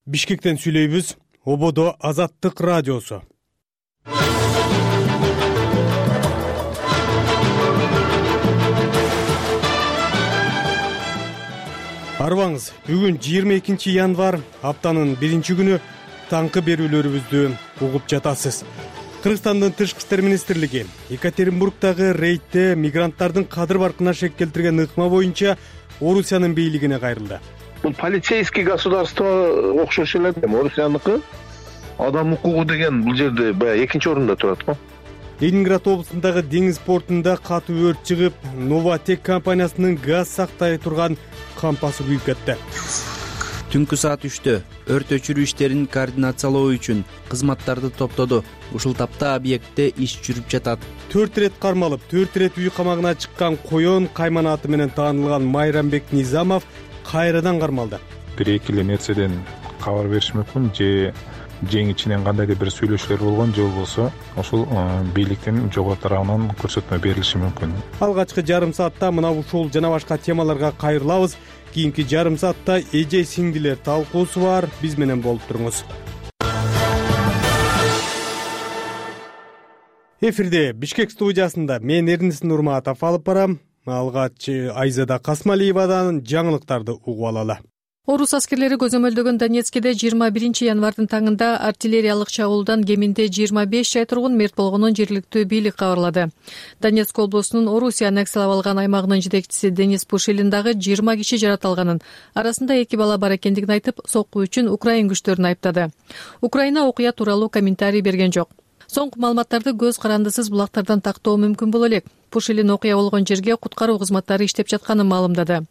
Бишкектен сүйлөйбүз. Ободо Азаттык радиосу. Арбаңыз, бүгүн 22 январь, аптанын 1-күнү, таңкы берүүлөрүбүздү угуп жатасыз. Кыргызстандын Тышкы иштер министрлиги Екатеринбургдагы рейдте мигранттардын кадыр баркына шек келтирген ыкма боюнча Орусиянын бийлигине кайрылды. Бул полицейский государство окшош эле. Орусияныкы адам укугу деген бул жерде баягы экинчи орунда турат го. Ленинград облусундагы деңиз портунда катуу өрт чыгып, Новатек компаниясынын газ сактай турган кампасы күйүп кетти. Түнкү саат 3-тө өрт өчүрүү иштерин координациялоо үчүн кызматтарды топтоду. Ушул тапта объектте иш жүрүп жатат. 4 ирет кармалып, 4 ирет үй камагына чыккан Коён Кайман аты менен таанылган Майрамбек Низамов кайрадан кармалды. 1-2 нерседен кабар бериш мүмкүн, же ичинен кандайдыр бир сүйлөшүүлөр болгон, же болбосо ошол бийликтин жогору тарабынан көрсөтмө берилиши мүмкүн. Алгачкы жарым саатта мына ушул жана башка темаларга кайрылабыз. Кийинки жарым саатта эже сиңдилер талкуусу бар. Биз менен болуп туруңуз. Эфирде Бишкек студиясында мен Эрнис Нурматов алып барам. Алгач Айзада Касмалиевадан жаңылыктарды угуп алалы. Орус аскерлери көзөмөлдөгөн Донецкиде 21 январдын таңында артиллериялык чабуулдан кеминде 25 жай тургун мерт болгонун жергиликтүү бийлик кабарлады. Донецк облусунун Орусия аннексиялап алган аймагынын жетекчиси Денис Пушилин дагы 20 киши жаратылганын, арасында 2 бала бар экендигин айтып, сокку үчүн Украин күчтөрүн айыптады. Украина окуя тууралуу комментарий берген жок. Соңку маалыматтарды көз карандысыз булактардан тактоо мүмкүн боло элек. Пушилин окуя болгон жерге куткаруу кызматтары иштеп жатканын маалымдады.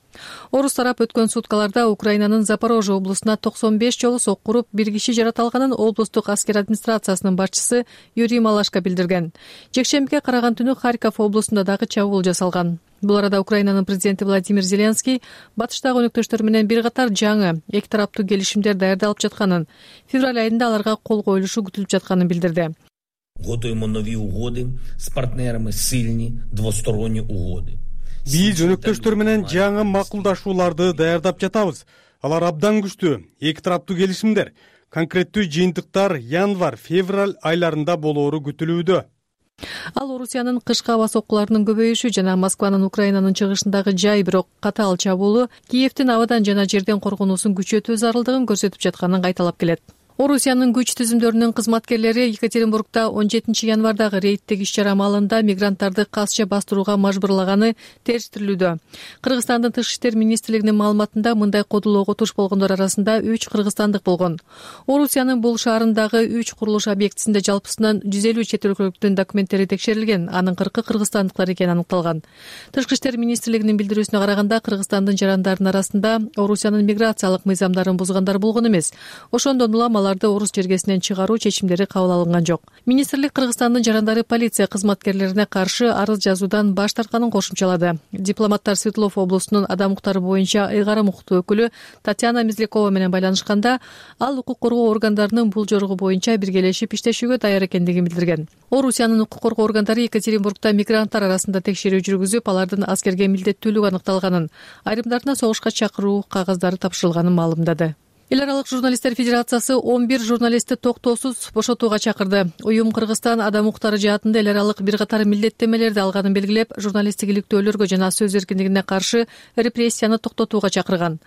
Орус тарап өткөн суткаларда Украинанын Запорожье облусуна 95 жолу сокку уруп, 1 киши жаратылганын облустук аскер администрациясынын башчысы Юрий Малашко билдирген. Жекшембиге караган түнү Харьков облусунда дагы чабуул жасалган. Бул арада Украинанын президенти Владимир Зеленский батыштагы өнөктөштөр менен бир катар жаңы эки тараптуу келишимдер даярдалып жатканын, февраль айында аларга кол коюлушу күтүлүп жатканын билдирди. Готуємо нові угоди з партнерами, сильні двосторонні угоди. Биз өнөктөштөр менен жаңы макулдашууларды даярдап жатабыз. Алар абдан күчтүү, эки тараптуу келишимдер. Конкреттүү жыйынтыктар январь, февраль айларында болоору күтүлүүдө. Ал Орусиянын кышкы аба соккуларынын көбөйүшү жана Москванын Украинанын чыгышындагы жай бирок катаал чабуулу Киевдин абадан жана жерден коргонуусун күчөтүү зарылдыгын көрсөтүп жатканын кайталап келет. Орусиянын күч түзүмдөрүнүн кызматкерлери Екатеринбургда 17 январдагы рейдтеги иш-чара маалында мигранттарды касча бастырууга мажбурлаганы териштирилүүдө. Кыргызстандын Тышкы иштер министрлигинин маалыматында мындай кодулоого туш болгондор арасында 3 кыргызстандык болгон. Орусиянын бул шаарындагы 3 курулуш объектисинде жалпысынан 150 чет өлкөлүктүн документтери текшерилген, анын 40 кыргызстандыктар экени аныкталган. Тышкы иштер министрлигинин билдирүүсүнө караганда, Кыргызстандын жарандарынын арасында Орусиянын миграциялык мыйзамдарын бузгандар болгон эмес. Ошондон улам аларды орус жергесинен чыгаруу чечимдери кабыл алынган жок. Министрлик Кыргызстандын жарандары полиция кызматкерлерине каршы арыз жазуудан баш тартканын кошумчалады. Дипломаттар Свердлов облусунун адам укуктары боюнча ыйгарым укуктуу өкүлү Татьяна Мезлякова менен байланышканда, ал укук коргоо органдарынын бул жоругу боюнча биргелешип иштешүүгө даяр экендигин билдирген. Орусиянын укук коргоо органдары Екатеринбургда мигранттар арасында текшерүү жүргүзүп, алардын аскерге милдеттүүлүгү аныкталганын, айрымдарына согушка чакыруу кагаздары тапшырылганын маалымдады. Эл аралык журналисттер федерациясы 11 журналистти токтоосуз бошотууга чакырды. Уюм Кыргызстан адам укуктары жаатында эл аралык бир катар милдеттемелерди алганын белгилеп, журналисттик иликтөөлөргө жана сөз эркиндигине каршы репрессияны токтотууга чакырган.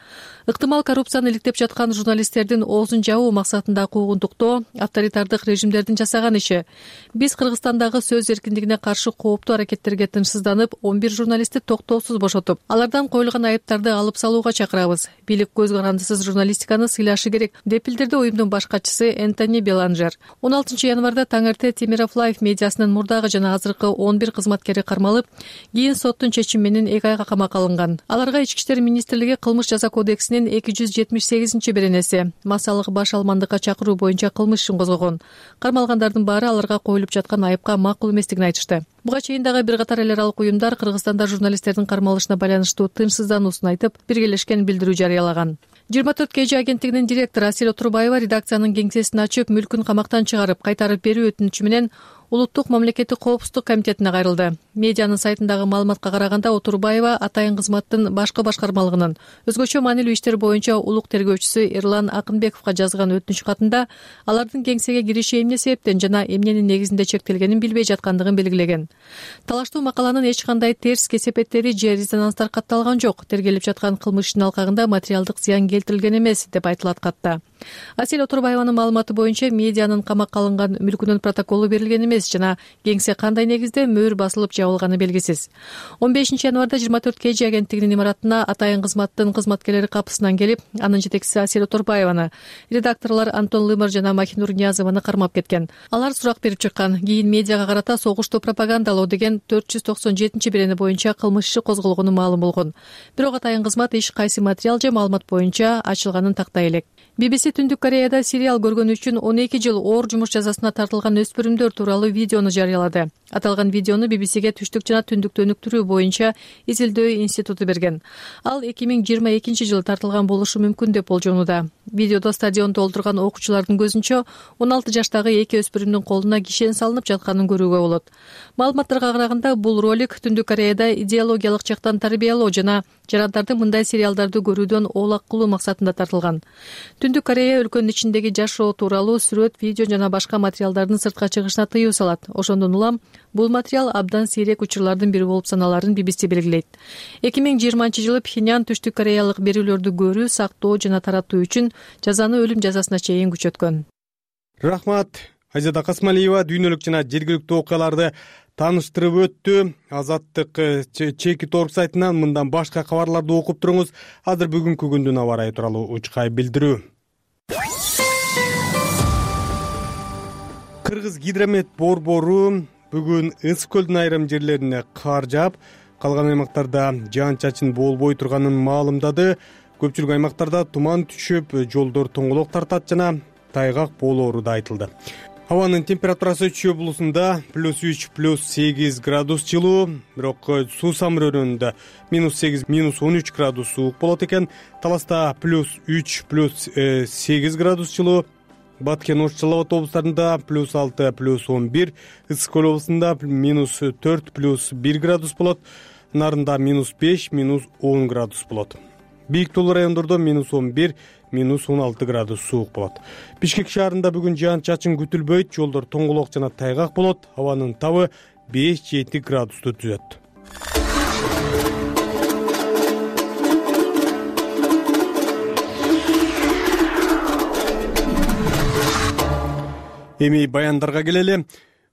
Ыктымал коррупцияны иликтеп жаткан журналисттердин оозун жабуу максатында куугунтуктоо авторитардык режимдердин жасаган иши. Биз Кыргызстандагы сөз эркиндигине каршы кооптуу аракеттерге тынчсызданып, 11 журналистти токтоосуз бошотуп, алардан коюлган айыптарды алып салууга чакырабыз. Бийлик көз карандысыз журналистиканы сыйлашы керек, деп билдирди уюмдун баш катчысы Энтони Беланжер. 16 январда таңерте Темиров Лайф медиасынын мурдагы жана азыркы 11 кызматкери кармалып, кийин соттун чечими менен 2 айга камакка алынган. Аларга Ички иштер министрлиги кылмыш жаза кодексинин 278-беренеси массалык баш алмандыкка чакыруу боюнча кылмыш ишин козгогон. Кармалгандардын баары аларга коюлуп жаткан айыпка макул эместигин айтышты. Буга чейин дагы бир катар эл аралык уюмдар Кыргызстанда журналисттердин кармалышына байланыштуу тынчсыздануусун айтып, биргелешкен билдирүү жарыялаган. 24 KG агенттигинин директору Асел Отурбаева редакциянын кеңсесин ачып, мүлкүн камактан чыгарып, кайтарып берүү өтүнүчү менен Улуттук мамлекеттик коопсуздук комитетине кайрылды. Медианын сайтындагы маалыматка караганда Отурбаева Атайын кызматтын башкы башкармалыгынын өзгөчө маанилүү иштер боюнча улук тергөөчүсү Эрлан Акынбековго жазган өтүнүч катында алардын кеңсеге кириши эмне себептен жана эмненин негизинде чектелгенин билбей жаткандыгын белгилеген. Талаштуу макаланын эч кандай терс кесепеттери же резонанстар катталган жок. Тергелип жаткан кылмыш ишинин алкагында материалдык зыян келтирилген эмес деп айтылат катта. Асель Отурбаеванын маалыматы боюнча медианын камакка алынган мүлкүнүн протоколу берилген эмес жана кеңсе кандай негизде мөөр басылып жабылганы белгисиз. 15 январда 24 KG агенттигинин имаратына Атайын кызматтын кызматкерлери капысынан келип, анын жетекчиси Асель Отурбаеваны, редакторлор Антон Лымар жана Махинур Ниязованы кармап кеткен. Алар сурак берип чыккан. Кийин медиага карата согушту пропагандалоо деген 497 боюнча кылмыш иши козголгону маалым болгон. Бирок Атайын кызмат иш кайсы материал же маалымат боюнча ачылганын тактай элек. BBC Түндүк Кореяда сериал көргөнү үчүн 12 жыл оор жумуш жазасына тартылган өспүрүмдөр тууралуу видеону жарыялады. Аталган видеону BBC-ге Түштүк жана Түндүктү өнүктүрүү боюнча изилдөө институту берген. Ал 2022 жылы тартылган болушу мүмкүн деп болжонууда. Видеодо стадион толтурган окуучулардын көзүнчө 16 жаштагы эки өспүрүмдүн колуна кишен салынып жатканын көрүүгө болот. Маалыматтарга караганда бул ролик Түндүк Кореяда идеологиялык жактан тарбиялоо жана жарандарды мындай сериалдарды көрүүдөн оолак кылуу максатында тартылган. Түндүк Корея өлкөнүн ичиндеги жашоо тууралуу сүрөт, видео жана башка материалдардын сыртка чыгышына тыюу салат. Ошондон улам бул материал абдан сейрек учурлардын бири болуп саналарын BBC белгилейт. 2020 жылы Пхеньян Түштүк Кореялык берүүлөрдү көрүү, сактоо жана таратуу үчүн жазаны өлүм жазасына чейин күчөткөн. Рахмат. Айзада Касмалиева дүйнөлүк жана жергиликтүү окуяларды тааныштырып өттү. Азаттык чекит орг сайтынан мындан башка кабарларды окуп туруңуз. Азыр бүгүнкү күндүн аба ырайы тууралуу учкай билдирүү. Кыргыз гидромет борбору бүгүн Ысык көлдүн айрым жерлерине кар жаап, калган аймактарда жаан-чачын болбой турганын маалымдады. Көпчүлүк аймактарда туман түшүп, жолдор тоңголок тартат жана тайгак болоору да айтылды. Абанын температурасы Чүй облусунда +3, +8 градус жылуу, бирок Суусам районунда -8, -13 градус суук болот экен. Таласта +3, +8 градус жылуу. Баткен, Ош, Жалал Абад облустарында +6, +11, Ысык көл облусунда -4, +1 градус болот. Нарында -5, -10 градус болот. Бийик тоолуу райондордо -11, -16 градус суук болот. Бишкек шаарында бүгүн жаан-чачын күтүлбөйт, жолдор тоңголок жана тайгак болот. Абанын табы 5-7 градусту түзөт. Эми баяндарга келели.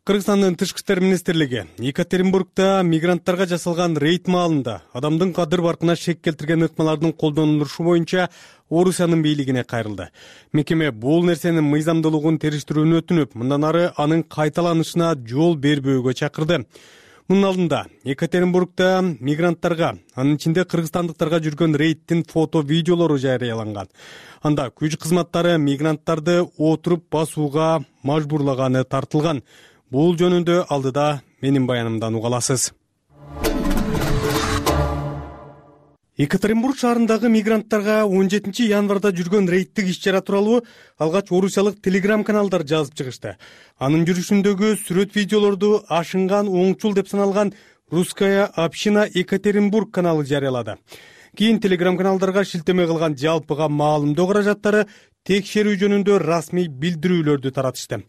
Кыргызстандын Тышкы иштер министрлиги Екатеринбургда мигранттарга жасалган рейд маалында адамдын кадыр баркына шек келтирген ыкмалардын колдонулушу боюнча Орусиянын бийлигине кайрылды. Мекеме бул нерсенин мыйзамдуулугун териштирүүнү өтүнүп, мындан ары анын кайталанышына жол бербөөгө чакырды. Мунун алдында Екатеринбургда мигранттарга, анын ичинде кыргызстандыктарга жүргөн рейдтин фото-видеолору жарыяланган. Анда күч кызматтары мигранттарды отуруп басууга мажбурлаганы тартылган. Бул жөнүндө алдыда менин баянымдан уга аласыз. Екатеринбург шаарындагы мигранттарга 17 январда жүргөн рейдтик иш-чара тууралуу алгач орусиялык телеграм-каналдар жазып чыгышты. Анын жүрүшүндөгү сүрөт-видеолорду ашынган оңчул деп саналган Русская община Екатеринбург каналы жарыялады. Кийин телеграм-каналдарга шилтеме кылган жалпыга маалымдоо каражаттары текшерүү жөнүндө расмий билдирүүлөрдү таратышты.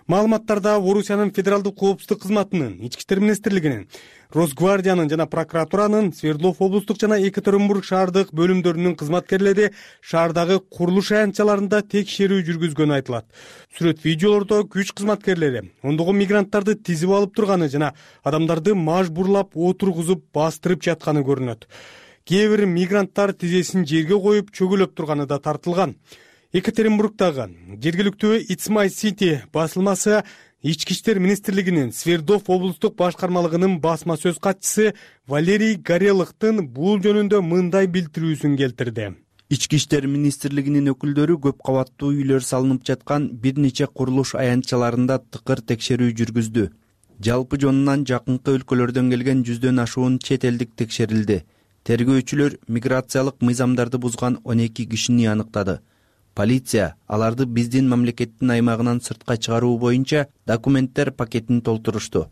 Маалыматтарда Орусиянын федералдык коопсуздук кызматынын, Ички иштер министрлигинин, Росгвардиянын жана прокуратуранын, Свердлов облустук жана Екатеринбург шаардык бөлүмдөрүнүн кызматкерлери шаардагы курулуш аянтчаларында текшерүү жүргүзгөнү айтылат. Сүрөт-видеолордо күч кызматкерлери ондогон мигранттарды тизип алып турганы жана адамдарды мажбурлап отургузуп бастырып жатканы көрүнөт. Кээ бир мигранттар тизесин жерге коюп чөгөлөп турганы да тартылган. Екатеринбургдагы жергиликтүү It's My City басылмасы Ички иштер министрлигинин Свердлов облустук башкармалыгынын басма сөз катчысы Валерий Горелыктын бул жөнүндө мындай билдирүүсүн келтирди. Ички иштер министрлигинин өкүлдөрү көп кабаттуу үйлөр салынып жаткан бир нече курулуш аянтчаларында тыкыр текшерүү жүргүздү. Жалпы жонунан жакынкы өлкөлөрдөн келген 100дөн ашуун чет элдик текшерилди. Тергөөчүлөр миграциялык мыйзамдарды бузган 12 кишини аныктады. Полиция аларды биздин мамлекеттин аймагынан сыртка чыгаруу боюнча документтер пакетин толтурушту.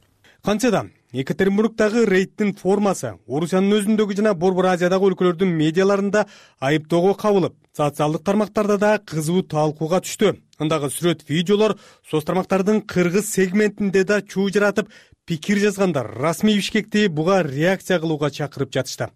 Кантсе да Екатеринбургдагы рейдтин формасы Орусиянын өзүндөгү жана Борбор Азиядагы өлкөлөрдүн медиаларында айыптоого кабылып, социалдык тармактарда да кызуу талкууга түштү. Андагы сүрөт, видеолор соц тармактардын кыргыз сегментинде да чуу жаратып, пикир жазгандар расмий Бишкекти буга реакция кылууга чакырып жатышты.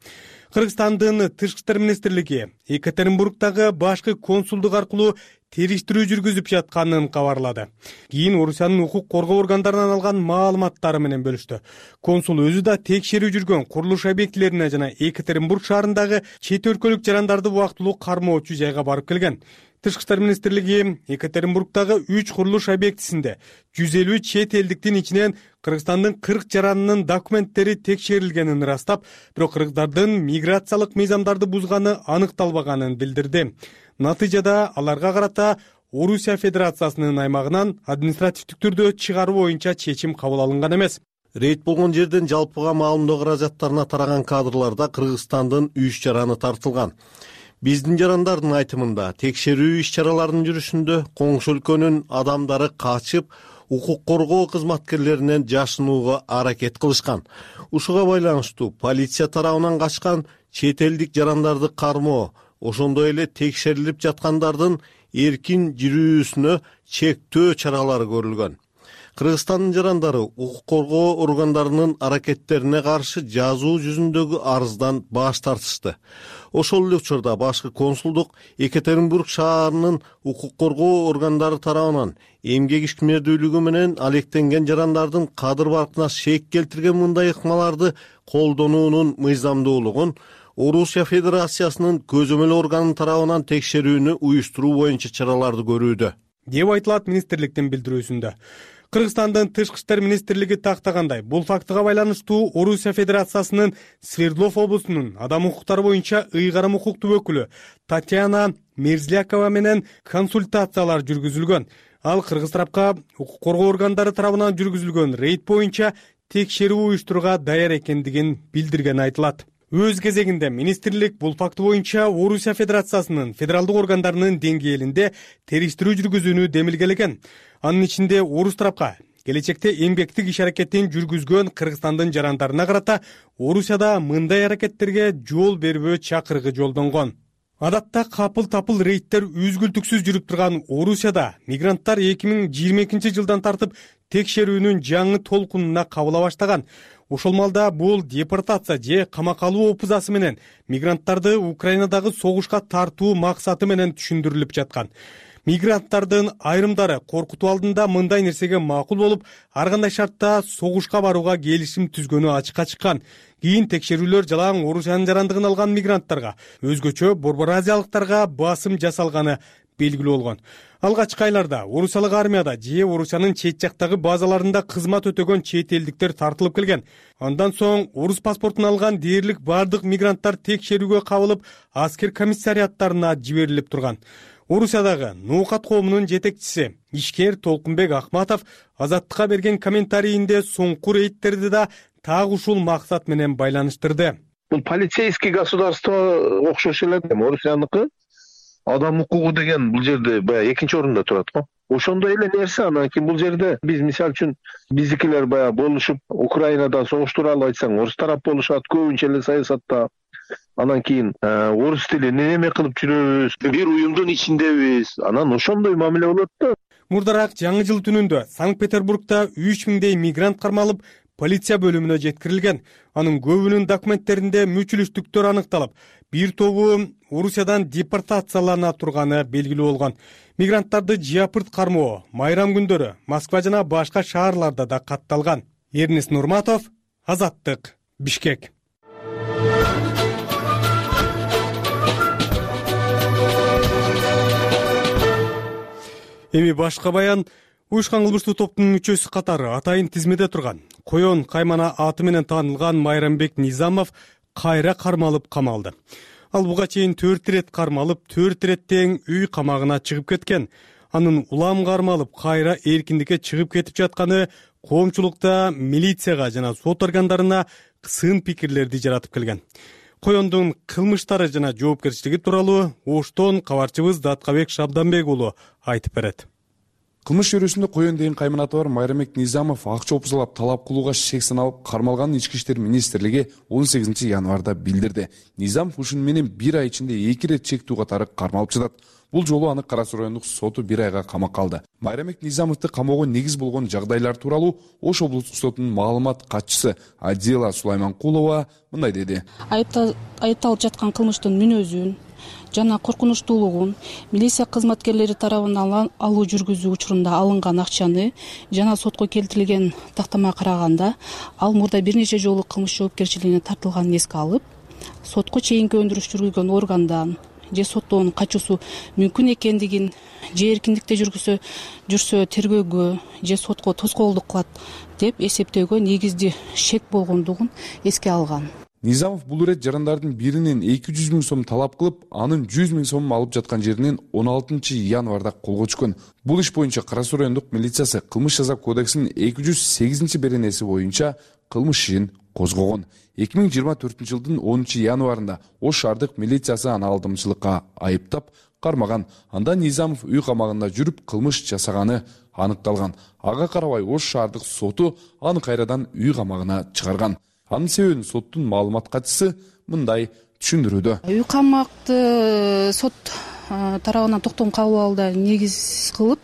Кыргызстандын Тышкы иштер министрлиги Екатеринбургдагы башкы консулдук аркылуу териштирүү жүргүзүп жатканын кабарлады. Кийин Орусиянын укук коргоо органдарынан алган маалыматтары менен бөлүштү. Консул өзү да текшерүү жүргөн курулуш объектилерине жана Екатеринбург шаарындагы чет өлкөлүк жарандарды убактылуу кармоочу жайга барып келген. Тышкы иштер министрлиги Екатеринбургдагы 3 курулуш объектисинде 150 чет элдиктин ичинен Кыргызстандын 40 жаранынын документтери текшерилгенин ырастап, бирок кыргыздардын миграциялык мыйзамдарды бузганы аныкталбаганын билдирди. Натыйжада аларга карата Орусия Федерациясынын аймагынан административдик түрдө чыгаруу боюнча чечим кабыл алынган эмес. Рейд болгон жерден жалпыга маалымдоо каражаттарына тараган кадрларда Кыргызстандын 3 жараны тартылган. Биздин жарандардын айтымында текшерүү иш-чараларынын жүрүшүндө коңшу өлкөнүн адамдары качып, укук коргоо кызматкерлеринен жашынууга аракет кылышкан. Ушуга байланыштуу полиция тарабынан качкан чет элдик жарандарды кармоо, ошондой эле текшерилип жаткандардын эркин жүрүүсүнө чектөө чаралары көрүлгөн. Кыргызстандын жарандары укук коргоо органдарынын аракеттерине каршы жазуу жүзүндөгү арыздан баш тартышты. Ошол эле учурда башкы консулдук Екатеринбург шаарынын укук коргоо органдары тарабынан эмгек ишмердүүлүгү менен алектенген жарандардын кадыр баркына шек келтирген мындай ыкмаларды колдонуунун мыйзамдуулугун Орусия Федерациясынын көзөмөл органы тарабынан текшерүүнү уюштуруу боюнча чараларды көрүүдө, деп айтылат министрликтин билдирүүсүндө. Кыргызстандын Тышкы иштер министрлиги тактагандай, бул фактыга байланыштуу Орусия Федерациясынын Свердлов облусунун адам укуктары боюнча ыйгарым укуктуу өкүлү Татьяна Мерзлякова менен консультациялар жүргүзүлгөн. Ал кыргыз тарапка укук коргоо органдары тарабынан жүргүзүлгөн рейд боюнча текшерүү уюштурууга даяр экендигин билдиргени айтылат. Өз кезегинде министрлик бул факты боюнча Орусия Федерациясынын федералдык органдарынын деңгээлинде териштирүү жүргүзүүнү демилгелеген. Анын ичинде орус тарапка келечекте эмгектик иш аракетин жүргүзгөн Кыргызстандын жарандарына карата Орусияда мындай аракеттерге жол бербөө чакырыгы жолдонгон. Адатта капыл-тапыл рейдтер үзгүлтүксүз жүрүп турган Орусияда мигранттар 2022 жылдан тартып текшерүүнүн жаңы толкунуна кабыла баштаган. Ошол малда бул депортация же камакка алуу опузасы менен мигранттарды Украинадагы согушка тартуу максаты менен түшүндүрүлүп жаткан. Мигранттардын айрымдары коркутуу алдында мындай нерсеге макул болуп, ар кандай шартта согушка барууга келишим түзгөнү ачыкка чыккан. Кийин текшерүүлөр жалаң Орусиянын жарандыгын алган мигранттарга, өзгөчө Борбор Азиялыктарга басым жасалганы белгилүү болгон. Алгачкы айларда Орусиялык армияда же Орусиянын чет жактагы базаларында кызмат өтөгөн чет элдиктер тартылып келген. Андан соң орус паспортун алган дээрлик бардык мигранттар текшерүүгө кабылып, аскер комиссариаттарына жиберилип турган. Орусиядагы Ноокат коомунун жетекчиси ишкер Толкунбек Ахматов Азаттыкка берген комментарийинде соңку рейдтерди да так ушул максат менен байланыштырды. Бул полицейский государство окшош эле, Орусияныкы адам укугу деген бул жерде баягы экинчи орунда турат го. Ошондой эле нерсе. Анан кийин бул жерде биз мисалы үчүн биздикилер баягы болушуп Украинада согуш тууралуу айтсаң, орус тарап болушат, көбүнчө эле саясатта. Анан кийин орус тилин эме кылып жүрөбүз, бир уюмдун ичиндебиз. Анан ошондой мамиле болот да. Мурдараак жаңы жыл түнүндө Санкт-Петербургда 3000 мигрант кармалып, полиция бөлүмүнө жеткирилген. Анын көбүнүн документтеринде мүчүлүштүктөр аныкталып, бир тобу Орусиядан депортациялана турганы белгилүү болгон. Мигранттарды жыапырт кармоо майрам күндөрү Москва жана башка шаарларда да катталган. Эрнест Нурматов, Азаттык, Бишкек. Эми башка баян. Уюшкан кылмыштуу топтун мүчөсү катары атайын тизмеде турган Коён Каймана аты менен таанылган Майрамбек Низамов кайра кармалып камалды. Ал буга чейин 4 ирет кармалып, 4 иреттен үй камагына чыгып кеткен. Анын улам кармалып, кайра эркиндикке чыгып кетип жатканы коомчулукта милицияга жана сот органдарына сын пикирлерди жаратып келген. коёндун кылмыштары жана жоопкерчилиги тууралуу Оштон кабарчыбыз Даткабек Шабданбек уулу айтып берет. Кылмыш чөйрөсүндө коён деген кайманаты бар Майрамбек Низамов акча опузалап талап кылууга шек саналып кармалганын Ички иштер министрлиги 18 январда билдирди. Низамов ушуну менен 1 ай ичинде 2 ирет чектүү катары кармалып жатат. Бул жолу аны Кара Суу райондук соту 1 айга камакка алды. Майрамбек Низамовду камоого негиз болгон жагдайлар тууралуу Ош облустук сотунун маалымат катчысы Адила Сулайманкулова мындай деди. Айыпталып жаткан кылмыштын мүнөзүн жана коркунучтуулугун, милиция кызматкерлери тарабынан алуу жүргүзүү учурунда алынган акчаны жана сотко келтирилген тактамага караганда ал мурда бир нече жолу кылмыш жоопкерчилигине тартылганын эске алып, сотко чейинки өндүрүш жүргүзгөн органдан же соттоонун качуусу мүмкүн экендигин, же эркиндикте жүрсө тергөөгө же сотко тоскоолдук кылат деп эсептөөгө негиздүү шек болгондугун эске алган. Низамов бул ирет жарандардын биринен 200 000 сом талап кылып, анын 100 000 сом алып жаткан жеринен 16 январда колго түшкөн. Бул иш боюнча Кара Суу райондук милициясы кылмыш жаза кодексинин 208 беренеси боюнча кылмыш ишин козгогон. 2024 жылдын 10 январында Ош шаардык милициясы аны алдамчылыкка айыптап кармаган. Анда Низамов үй камагында жүрүп кылмыш жасаганы аныкталган. Ага карабай Ош шаардык соту аны кайрадан үй камагына чыгарган. Анын себебин соттун маалымат катчысы мындай түшүндүрүүдө. Үй камакты сот тарабынан токтом кабыл алууга негиз кылып,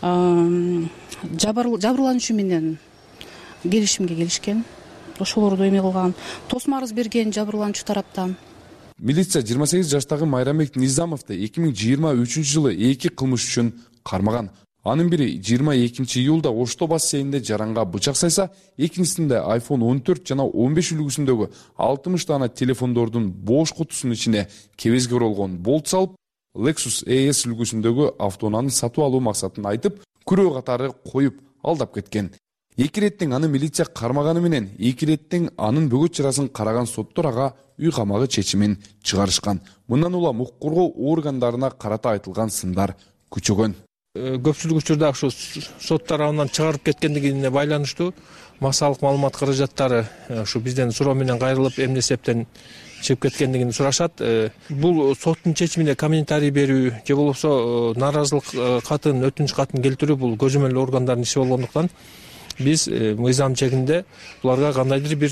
жабырлануучу менен келишимге келишкен. Ошолорду эме кылган, тосмо арыз берген жабырлануучу тараптан. Милиция 28 жаштагы Майрамбек Низамовду 2023 жылы 2 кылмыш үчүн кармаган. Анын бири 22 июлда Ошто бассейнинде жаранга бычак сайса, экинчисинде iPhone 14 жана 15 үлгүсүндөгү 60 дана телефондордун бош кутусунун ичине кебезге оролгон болт салып, Lexus ES үлгүсүндөгү автоунааны сатып алуу максатын айтып, күрөө катары коюп алдап кеткен. 2 иреттен аны милиция кармаганы менен 2 иреттен анын бөгөт чарасын караган соттор ага үй камагы чечимин чыгарышкан. Мындан улам укук коргоо органдарына карата айтылган сындар күчөгөн. Көпчүлүк учурда ушу сот тарабынан чыгарып кеткендигине байланыштуу массалык маалымат каражаттары ушу бизден суроо менен кайрылып, эмне себептен чыгып кеткендигин сурашат. Бул соттун чечимине комментарий берүү же болбосо нааразылык катын, өтүнүч катын келтирүү бул көзөмөл органдардын иши болгондуктан биз мыйзам чегинде буларга кандайдыр бир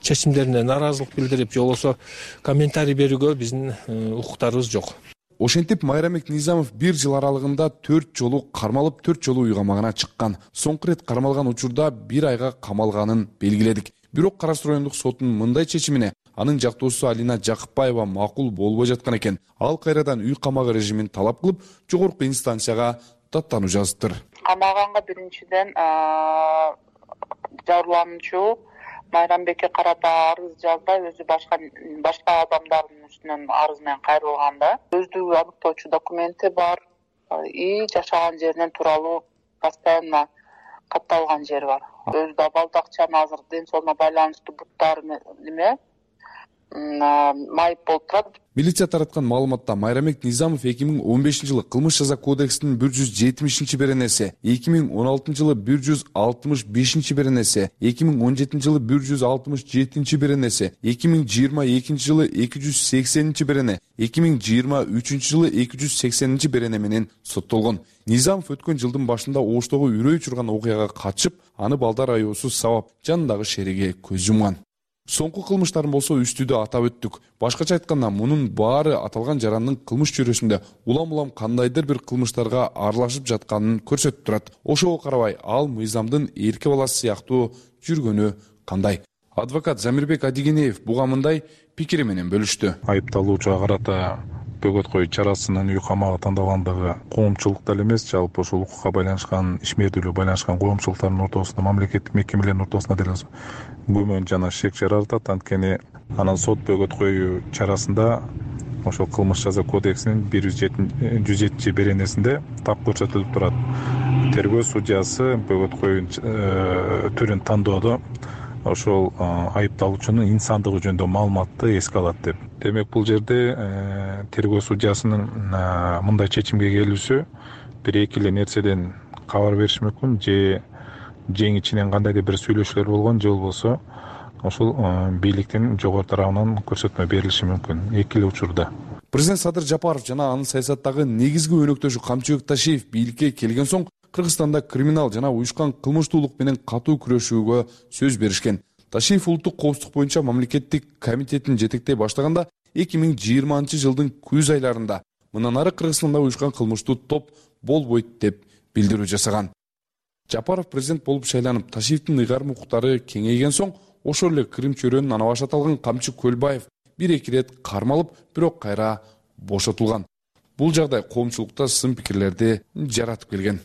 чечимдерине нааразылык билдирип же болбосо комментарий берүүгө биздин укуктарыбыз жок. Ошентип Майрамбек Низамов 1 жыл аралыгында 4 жолу кармалып, 4 жолу үй камагына чыккан. Соңку рет кармалган учурда 1 айга камалганын белгиледик. Бирок Кара Суу райондук сотунун мындай чечимине анын жактоосу Алина Жакыпбаева макул болбой жаткан экен. Ал кайрадан үй камагы режимин талап кылып, жогорку инстанцияга даттануу жазыптыр. Камалганга биринчиден жабырлануучу Майрамбекке карата арыз жазбай, өзү башка адамдардын үстүнөн арыз менен кайрылганда, өздүгү аныктоочу документи бар и жашаган жеринен тууралуу постоянно катталган жери бар. Өзү да балдакчаны азыр ден соолугуна байланыштуу буттары неме майып болуп турат. Милиция тараткан маалыматта Майрамбек Низамов 2015 жылы кылмыш жаза кодексинин 170 беренеси, 2016 жылы 165 беренеси, 2017 жылы 167 беренеси, 2022 жылы 280 берене, 2023 жылы 280 берене менен соттолгон. Низамов өткөн жылдын башында Оштогу үрөй учурган окуяга катышып, аны балдар айоосу сабап жанындагы шериге көз жумган. Соңку кылмыштарын болсо үстүдө атап өттүк. Башкача айтканда, мунун баары аталган жарандын кылмыш чөйрөсүндө улам кандайдыр бир кылмыштарга аралашып жатканын көрсөтүп турат. Ошого карабай, ал мыйзамдын эрке баласы сыяктуу жүргөнү кандай? Адвокат Замирбек Адигенеев буга мындай пикири менен бөлүштү. Айыпталуучуга карата бөгөт коюу чарасынын үй камагы тандалгандыгы коомчулук деле эмес, жалпы ушул укукка байланышкан, ишмердүүлүгү байланышкан коомчулуктардын ортосунда, мамлекеттик мекемелердин ортосунда деле күмөн жана шек жаратат. Анткени анан сот бөгөт коюу чарасында ошол кылмыш жаза кодексинин 107 беренесинде так көрсөтүлүп турат. Тергөө судьясы бөгөт коюу түрүн тандоодо ошол айыпталуучунун инсандыгы жөнүндө маалыматты эске алат деп. Демек, бул жерде тергөө судьясынын мындай чечимге келүүсү бир эки эле нерседен кабар бериш мүмкүн. Же жең ичинен кандайдыр бир сүйлөшүүлөр болгон, же болбосо ошол бийликтин жогору тарабынан көрсөтмө берилиши мүмкүн эки эле учурда. Президент Садыр Жапаров жана анын саясаттагы негизги өнөктөшү Камчыбек Ташиев бийликке келген соң Кыргызстанда криминал жана уюшкан кылмыштуулук менен катуу күрөшүүгө сөз беришкен. Ташиев улуттук коопсуздук боюнча мамлекеттик комитетин жетектей баштаганда 2020-жылдын күз айларында мындан ары Кыргызстанда уюшкан кылмыштуу топ болбойт деп билдирүү жасаган. Жапаров президент болуп шайланып, Ташиевдин ыйгарым укуктары кеңейген соң ошол эле Крым чөйрөнүн ана башы аталган Камчы Көлбаев бир-эки ирет кармалып, бирок кайра бошотулган. Бул жагдай коомчулукта сын пикирлерди жаратып келген.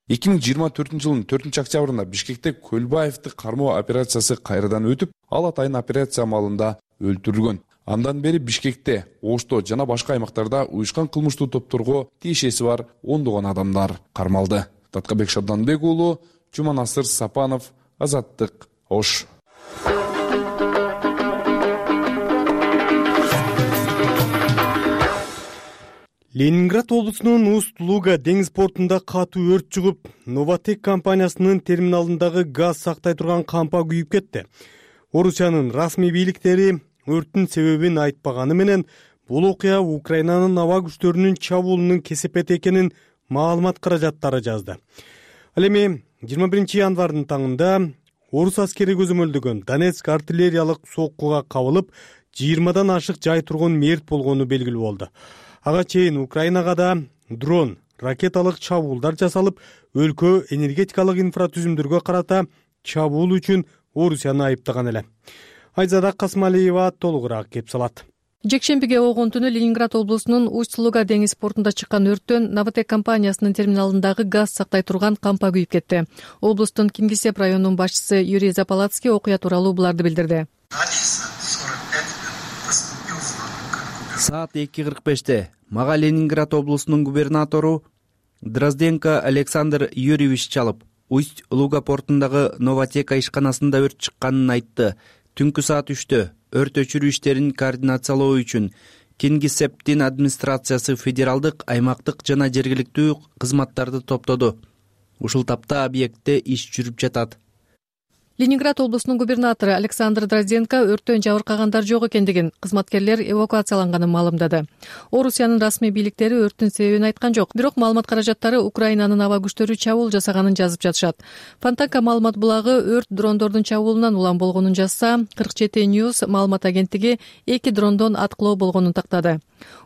2024-жылдын 4-октябрында Бишкекте Көлбаевди кармоо операциясы кайрадан өтүп, ал атайын операция амалында өлтүрүлгөн. Андан бери Бишкекте, Ошто жана башка аймактарда уюшкан кылмыштуу топторго тиешеси бар ондогон адамдар кармалды. Таткабек Шабданбек уулу, Жуманасыр Сапанов, Азаттык, Ош. Ленинград облусунун Усть-Луга деңиз портунда катуу өрт чыгып, Новотек компаниясынын терминалындагы газ сактай турган кампа күйүп кетти. Орусиянын расмий бийликтери өрттүн себебин айтпаганы менен бул окуя Украинанын аба күчтөрүнүн чабуулунун кесепети экенин маалымат каражаттары жазды. Ал эми 21-январдын таңында орус аскери көзөмөлдөгөн Донецк артиллериялык соккуга кабылып, 20дан ашык жай тургун мерт болгону белгилүү болду. Ага чейин Украинага да дрон, ракеталык чабуулдар жасалып, өлкө энергетикалык инфратүзүмдөргө карата чабуул үчүн Орусияны айыптаган эле. Айзада Касмалиева толугураак кеп салат. Жекшембиге огон түнү Ленинград облусунун Усть-Луга деңиз портунда чыккан өрттөн Новотек компаниясынын терминалындагы газ сактай турган кампа күйүп кетти. Облустун Кингисепп районунун башчысы Юрий Запалацкий окуя тууралуу буларды билдирди. Саат 2:45-те мага Ленинград облусунун губернатору Дрозденко Александр Юрьевич чалып, Усть-Луга портундагы Новотека ишканасында өрт чыкканын айтты. Түнкү саат 3-тө өрт өчүрүү иштерин координациялоо үчүн Кингисепптин администрациясы федералдык, аймактык жана жергиликтүү кызматтарды топтоду. Ушул тапта объектте иш жүрүп жатат. Ленинград облусунун губернатору Александр Дрозденко өрттөн жабыркагандар жок экендигин, кызматкерлер эвакуацияланганын маалымдады. Орусиянын расмий бийликтери өрттүн себебин айткан жок, бирок маалымат каражаттары Украинанын аба күчтөрү чабуул жасаганын жазып жатышат. Фонтанка маалымат булагы өрт дрондордун чабуулунан улам болгонун жазса, 47 News маалымат агенттиги 2 дрондон аткылоо болгонун тактады.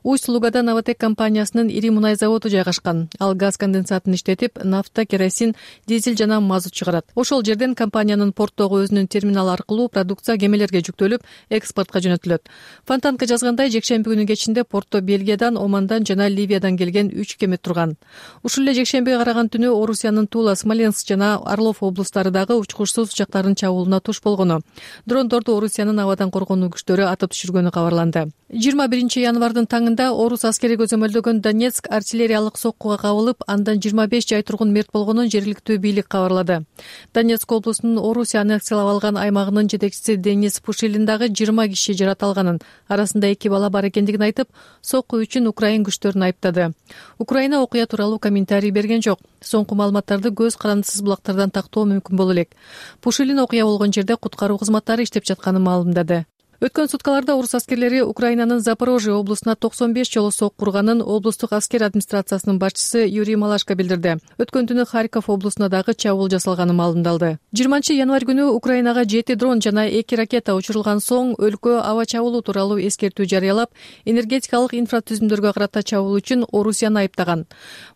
Усть-Лугада Новотек компаниясынын ири мунай заводу жайгашкан. Ал газ конденсатын иштетип, нафта, керосин, дизель жана мазут чыгарат. Ошол жерден компаниянын порттогу өзүнүн терминалы аркылуу продукция кемелерге жүктөлүп, экспортко жөнөтүлөт. Фонтанка жазгандай, жекшемби күнү кечинде портто Бельгиядан, Омандан жана Ливиядан келген 3 кеме турган. Ушул эле жекшембиге караган түнү Орусиянын Тула, Смоленск жана Орлов облустары дагы учкучсуз учактардын чабуулуна туш болгону. Дрондорду Орусиянын абадан коргонуу күчтөрү атып түшүргөнү кабарланды. 21-январдын таңында орус аскери көзөмөлдөгөн Донецк артиллериялык соккуга кабылып, андан 25 жай тургун мерт болгонун жергиликтүү бийлик кабарлады. Донецк облусунун Орусия аннексиялап алган аймагынын жетекчиси Денис Пушилин дагы 20 киши жараталганын, арасында 2 бала бар экендигин айтып, сокку үчүн Украин күчтөрүн айыптады. Украина окуя тууралуу комментарий берген жок. Соңку маалыматтарды көз карандысыз булактардан тактоо мүмкүн боло элек. Пушилин окуя болгон жерде куткаруу кызматтары иштеп жатканын маалымдады. Өткөн суткаларда орус аскерлери Украинанын Запорожье облусуна 95 жолу сокку урганын облустук аскер администрациясынын башчысы Юрий Малашко билдирди. Өткөн түнү Харьков облусуна дагы чабуул жасалганы маалымдалды. 20-январь күнү Украинага 7 дрон жана 2 ракета учурулган соң өлкө аба чабуулу тууралуу эскертүү жарыялап, энергетикалык инфратүзүмдөргө карата чабуул үчүн Орусияны айыптаган.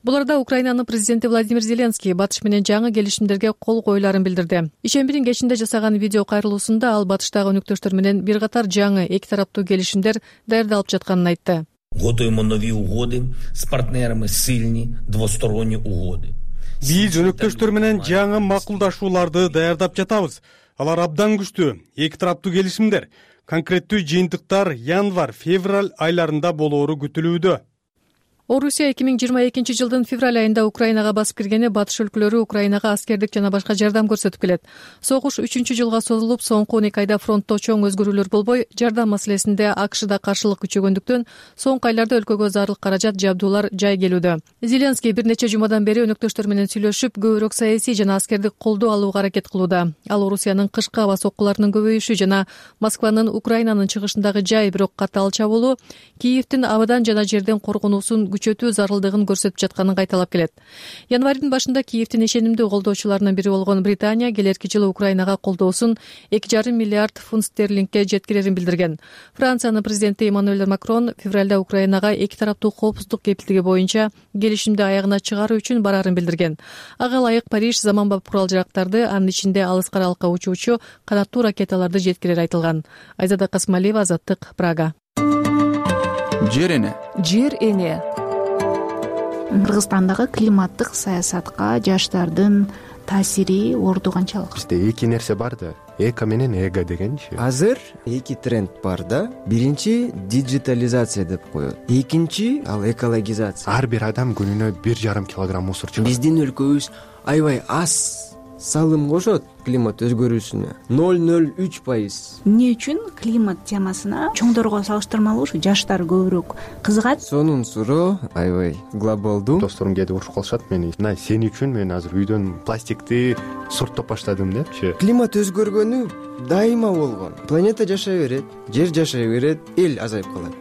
Буларда Украинанын президенти Владимир Зеленский батыш менен жаңы келишимдерге кол коюларын билдирди. Ишембидин кечинде жасаган видео кайрылуусунда ал батыштагы өнөктөштөр менен бир жаңы эки тараптуу келишимдер даярдалып жатканын айтты. Готовимо нові угоди з партнерами, сильні двосторонні угоди. Биз өнөктөштөр менен жаңы макулдашууларды даярдап жатабыз. Алар абдан күчтүү, эки тараптуу келишимдер. Конкреттүү жыйынтыктар январь-февраль айларында болоору күтүлүүдө. Орусия 2022 жылдын февраль айында Украинага басып киргени батыш өлкөлөрү Украинага аскердик жана башка жардам көрсөтүп келет. Согуш 3-жылга созулуп, соңку 12 айда фронтто чоң өзгөрүүлөр болбой, жардам маселесинде АКШда каршылык күчөгөндүктөн соңку айларда өлкөгө зарыл каражат, жабдуулар жай келүүдө. Зеленский бир нече жумадан бери өнөктөштөр менен сүйлөшүп, көбүрөөк саясий жана аскердик колдоо алууга аракет кылууда. Ал Орусиянын кышкы аба соккуларынын көбөйүшү жана Москванын Украинанын чыгышындагы жай бирок катаал чабуулу Киевдин абадан жана жерден коргонуусун күчөтүү зарылдыгын көрсөтүп жатканын кайталап келет. Январдын башында Киевдин ишенимдүү колдоочуларынын бири болгон Британия келерки жылы Украинага колдоосун 2,5 миллиард фунт стерлингке жеткирерин билдирген. Франциянын президенти Эммануэль Макрон февралда Украинага эки тараптуу коопсуздук кепилдиги боюнча келишимди аягына чыгаруу үчүн барарын билдирген. Ага ылайык Париж заманбап курал-жарактарды, анын ичинде алыс каралыкка учуучу канаттуу ракеталарды жеткирери айтылган. Айзада Касмалиева, Азаттык, Прага. Жер эне. Жер эне. Кыргызстандагы климаттык саясатка жаштардын таасири орду канчалык? Бизде эки нерсе бар да, эко менен эго дегенчи. Азыр эки тренд бар да. Биринчи диджитализация деп коет. Экинчи ал экологизация. Ар бир адам күнүнө 1,5 килограмм мусор чыгарат. Биздин өлкөбүз аябай аз салым кошот климат өзгөрүүсүнө. 0,03%. Эмне үчүн климат темасына чоңдорго салыштырмалуу ушу жаштар көбүрөөк кызыгат? Сонун суроо аябай глобалдуу. Досторум келип урушуп калышат мени. Мына сен үчүн мен азыр үйдөн пластикти сорттоп баштадым депчи. Климат өзгөргөнү дайыма болгон. Планета жашай берет, жер жашай берет, эл азайып калат.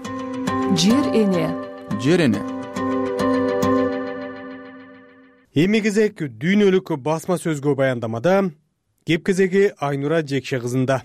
Жер эне. Жер эне. Эми кезек дүйнөлүк басма сөзгө баяндамада кеп кезеги Айнура Жекше кызында.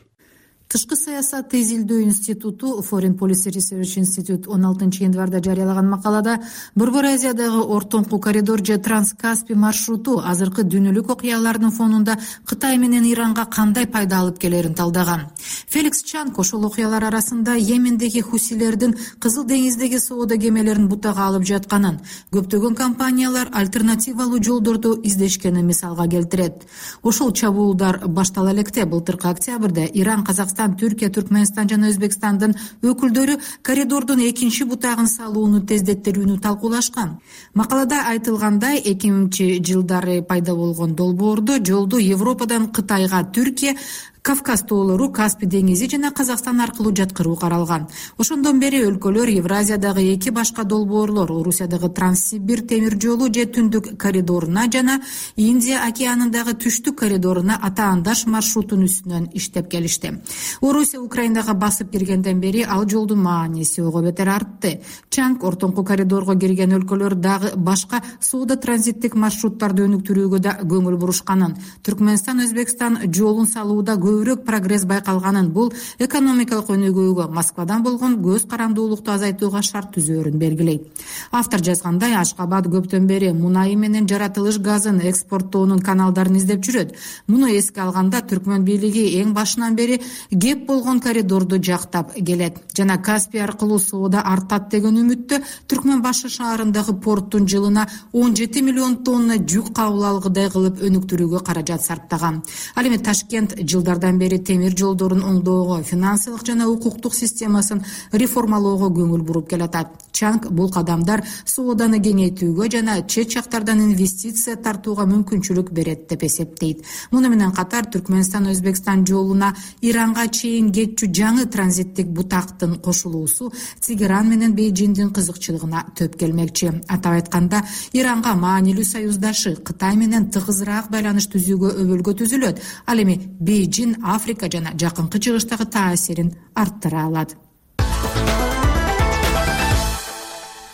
Тышкы саясатты изилдөө институту Foreign Policy Research Institute 16 январда жарыялаган макалада Борбор Азиядагы ортоңку коридор же Транскаспий маршруту азыркы дүйнөлүк окуялардын фонунда Кытай менен Иранга кандай пайда алып келерин талдаган. Феликс Чанг ошол окуялар арасында Йемендеги хусилердин Кызыл деңиздеги соода кемелерин бутага алып жатканын, көптөгөн компаниялар альтернативалуу жолдорду издешкенин мисалга келтирет. Ошол чабуулдар баштала электе былтыркы октябрда Иран, Казакстан, Түркия, Түркмөнстан жана Өзбекстандын өкүлдөрү коридордун экинчи бутагын салууну тездеттерүүнү талкуулашкан. Макалада айтылгандай, 2000-жылдары пайда болгон долбоорду жолду Европадан Кытайга Түркия, Кавказ тоолору, Каспий деңизи жана Казакстан аркылуу жаткыруу каралган. Ошондон бери өлкөлөр Евразиядагы эки башка долбоорлор, Орусиядагы Транссибир темир жолу же Түндүк коридоруна жана Индия океанындагы Түштүк коридоруна атаандаш маршрутун үстүнөн иштеп келишти. Орусия Украинага басып киргенден бери ал жолдун мааниси ого бетер артты. Чанг ортоңку коридорго кирген өлкөлөр дагы башка соода транзиттик маршруттарды өнүктүрүүгө да көңүл бурушканын, Түркмөнстан, Өзбекстан жолун салууда көбүрөөк прогресс байкалганын, бул экономикалык өнүгүүгө, Москвадан болгон көз карандуулукту азайтууга шарт түзөөрүн белгилейт. Автор жазгандай, Ашкабад көптөн бери мунайы менен жаратылыш газын экспорттоонун каналдарын издеп жүрөт. Муну эске алганда Түркмөн бийлиги эң башынан бери кеп болгон коридорду жактап келет жана Каспий аркылуу соода артат деген үмүттө Түркмөн башы шаарындагы порттун жылына 17 миллион тонна жүк кабыл алгыдай кылып өнүктүрүүгө каражат сарптаган. Ал эми Ташкент жылдардан бери темир жолдорун оңдоого, финансылык жана укуктук системасын реформалоого көңүл буруп келатат. Чанг бул кадамдар сооданы кеңейтүүгө жана чет жактардан инвестиция тартууга мүмкүнчүлүк берет деп эсептейт. Муну менен катар Түркмөнстан Өзбекстан жолуна Иранга чейин кетчү жаңы транзиттик бутактын кошулуусу Тегеран менен Бейжиңдин кызыкчылыгына төп келмекчи. Атап айтканда, Иранга маанилүү союздашы Кытай менен тыгызыраак байланыш түзүүгө өбөлгө түзүлөт. Ал эми Бейжиң Африка жана жакынкы чыгыштагы таасирин арттыра алат.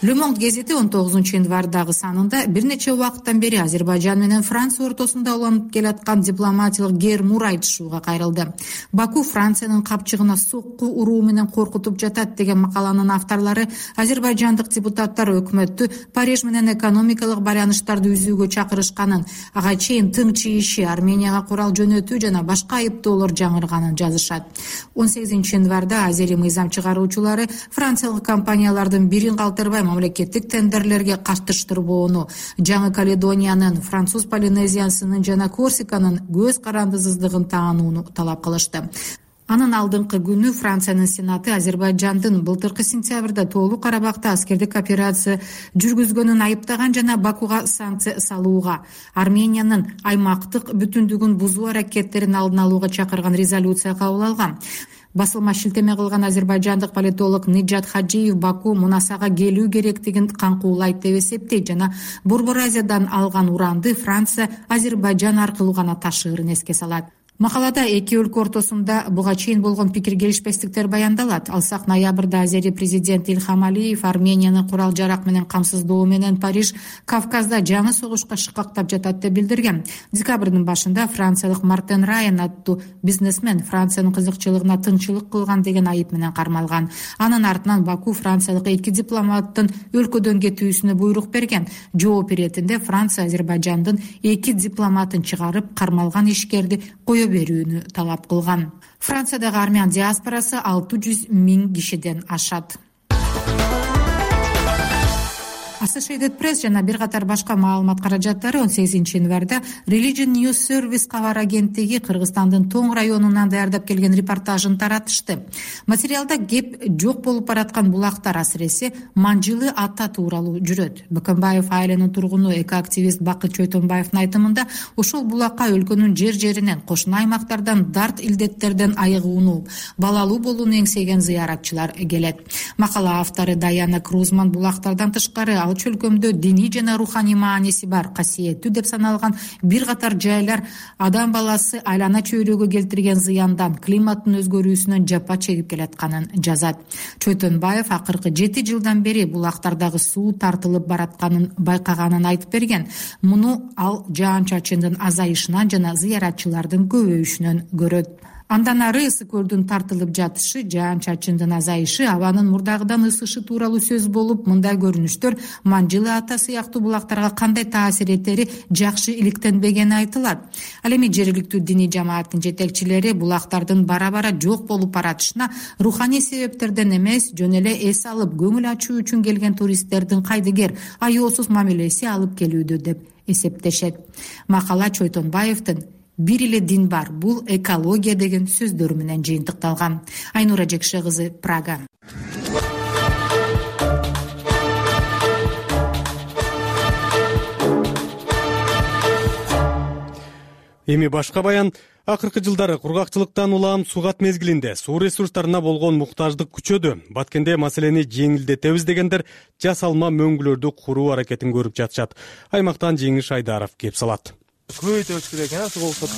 Le Monde гезити 19 январдагы санында бир нече убакыттан бери Азербайжан менен Франция ортосунда уланып келаткан дипломатиялык гер-мур айтышууга кайрылды. Баку Франциянын капчыгына сокку уруу менен коркутуп жатат деген макаланын авторлору азербайжандык депутаттар өкмөттү Париж менен экономикалык байланыштарды үзүүгө чакырышканын, ага чейин тың чийиши, Арменияга курал жөнөтүү жана башка айыптоолор жаңырганын жазышат. 18 январда Азери мыйзам чыгаруучулары франциялык компаниялардын бирин калтырбай мамлекеттик тендерлерге катыштырбоону, Жаңы Каледониянын, Француз Полинезиясынын жана Корсиканын көз карандысыздыгын таанууну талап кылышты. Анын алдыңкы күнү Франциянын Сенаты Азербайжандын былтыркы сентябрда Тоолуу Карабакта аскердик операция жүргүзгөнүн айыптаган жана Бакуга санкция салууга, Армениянын аймактык бүтүндүгүн бузуу аракеттерин алдын алууга чакырган резолюция кабыл алган. Басылма шилтеме кылган азербайжандык политолог Ниджат Хаджиев Баку Мунасага келүү керектигин каңкуулайт деп эсептейт жана Борбор Азиядан алган уранды Франция Азербайжан аркылуу гана ташыырын эске салат. Макалада эки өлкө ортосунда буга чейин болгон пикир келишпестиктер баяндалат. Алсак, ноябрда Азери президенти Илхам Алиев Арменияны курал жарак менен камсыздоо менен Париж Кавказда жаңы согушка шыкактап жатат деп билдирген. Декабрдын башында франциялык Мартен Райан аттуу бизнесмен Франциянын кызыкчылыгына тынччылык кылган деген айып менен кармалган. Анын артынан Баку франциялык эки дипломаттын өлкөдөн кетүүсүнө буйрук берген. Жооп иретинде Франция Азербайжандын эки дипломатын чыгарып, кармалган ишкерди кое берүүнү талап кылган. Франциядагы армян диаспорасы 600 000 кишиден ашат. Associated Press жана бир катар башка маалымат каражаттары 18 январда Religion News Service кабар агенттиги Кыргызстандын Тоң районунан даярдап келген репортажын таратышты. Материалда кеп жок болуп бараткан булактар, асыресе Манжылы ата тууралуу жүрөт. Бакымбаев айылынын тургуну экоактивист Бакыт Чойтонбаевдин айтымында ошол булакка өлкөнүн жер-жеринен, кошуна аймактардан, дарт илдеттерден айыгууну, балалуу болууну эңсеген зыяратчылар келет. Макала автору Даяна Крузман булактардан тышкары ал чөлкөмдө диний жана руханий мааниси бар, касиеттүү деп саналган бир катар жайлар адам баласы айлана чөйрөгө келтирген зыяндан, климаттын өзгөрүүсүнөн жапа чегип келатканын жазат. Чойтонбаев акыркы 7 жылдан бери булактардагы суу тартылып баратканын байкаганын айтып берген. Муну ал жаан-чачындын азайышынан жана зыяратчылардын көбөйүшүнөн көрөт. Андан ары ысы көлдүн тартылып жатышы, жаан-чачындын азайышы, абанын мурдагыдан ысышы тууралуу сөз болуп, мындай көрүнүштөр Манжылы ата сыяктуу булактарга кандай таасир этери жакшы иликтенбегени айтылат. Ал эми жергиликтүү диний жамааттын жетекчилери булактардын бара-бара жок болуп баратышына руханий себептерден эмес, жөн эле эс алып, көңүл ачуу үчүн келген туристтердин кайдыгер, аяосуз мамилеси алып келүүдө деп эсептешет. Макала Чойтонбаевдин «Бир эле дин бар, бул экология» деген сөздөрү менен жыйынтыкталган. Айнура Жекше кызы, Прага. Эми башка баян. Акыркы жылдары кургакчылыктан улам сугат мезгилинде суу ресурстарына болгон муктаждык күчөдү. Баткенде маселени жеңилдетебиз дегендер жасалма мөңгүлөрдү куруу аракетин көрүп жатышат. Аймактан Жеңиш Айдаров кеп салат. Көбөйтөбүз керек экен, суу болсо.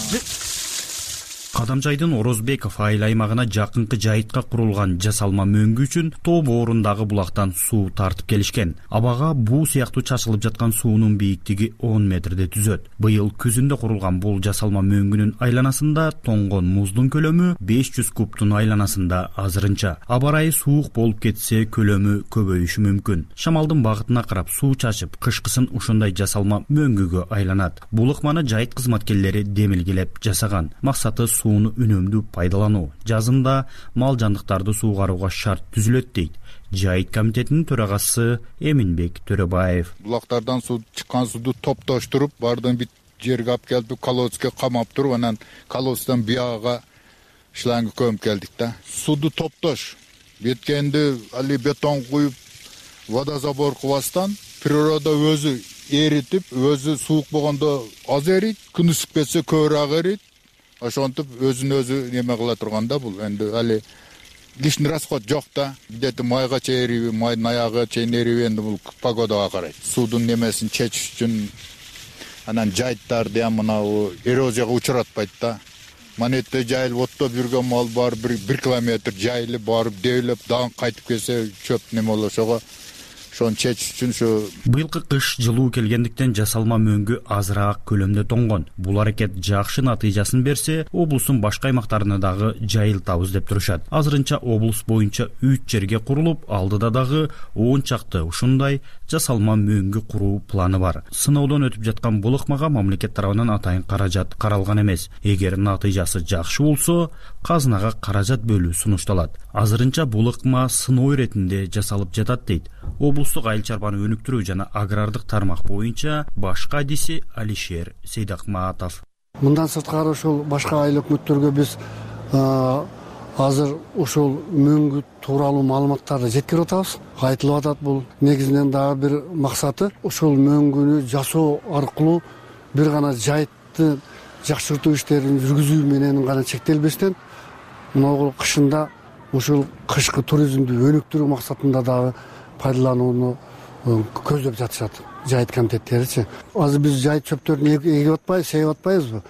Кадамжайдын Орозбеков айыл аймагына жакынкы жайытка курулган жасалма мөңгү үчүн тоо боорундагы булактан суу тартып келишкен. Абага буу сыяктуу чачылып жаткан суунун бийиктиги 10 метрде түзөт. Быйыл күзүндө курулган бул жасалма мөңгүнүн айланасында тоңгон муздун көлөмү 500 кубтун айланасында азырынча. Аба ырайы суук болуп кетсе көлөмү көбөйүшү мүмкүн. Шамалдын багытына карап суу чачып, кышкысын ушундай жасалма мөңгүгө айланат. Бул ыкманы жайыт кызматкерлери демилгелеп жасаган. Максаты сууну үнөмдүү пайдалануу. Жазында мал жандыктарды суугарууга шарт түзүлөт дейт Жайыт комитетинин төрагасы Эминбек Төрөбаев. Булактардан суу чыккан сууду топтоштуруп, бардын бит жерге алып келип, колодцке камап туруп, анан колодцтан бияга шланга көмүп келдик да. Сууду топтош. Беткенди али бетон куюп, водозабор кылбастан природа өзү эритип, өзү суук болгондо аз эрийт, күн ысык кетсе көбүрөөк эрийт. Ошонтип өзүн-өзү неме кыла турганда бул энди али лишний расход жок да. Где-то майга чейриби, майдын аягы чейин эриби, энди бул погодага карайт. Суудун немесин чечиш үчүн анан жайыттарды ham мынау эрозияга учуратпайт да. Манетте жайылып оттоп жүргөн мал бар, 1 километр жайылып барып дейлеп, дагы кайтып келсе чөп неме болот. Ошого ошону чечиш үчүн ушу быйылкы кыш жылуу келгендиктен жасалма мөңгү азыраак көлөмдө тоңгон. Бул аракет жакшы натыйжасын берсе, облустун башка аймактарына дагы жайылтабыз деп турушат. Азырынча облус боюнча 3 жерге курулуп, алдыда дагы 10 чакты ушундай жасалма мөңгү куруу планы бар. Сыноодон өтүп жаткан бул ыкмага мамлекет тарабынан атайын каражат каралган эмес. Эгер натыйжасы жакшы болсо, казынага каражат бөлүү сунушталат. Азырынча бул ыкма сыноо иретинде жасалып жатат дейт облустук айыл чарбаны өнүктүрүү жана агрардык тармак боюнча башка адиси Алишер Сейдакматов. Мындан сырткары ушул башка айыл өкмөттөргө биз азыр ушул мөңгү тууралуу маалыматтарды жеткирип атабыз. Айтылып атат бул негизинен дагы бир максаты ушул мөңгүнү жасоо аркылуу бир гана жайтты жакшыртуу иштерин жүргүзүү менен гана чектелбестен мына кышында ушул кышкы туризмди өнүктүрүү максатында дагы пайдаланууну көздөп жатышат жайыт комитеттеричи. Азыр биз жайыт чөптөрүн эгип атпайбыз, сейип атпайбызбы?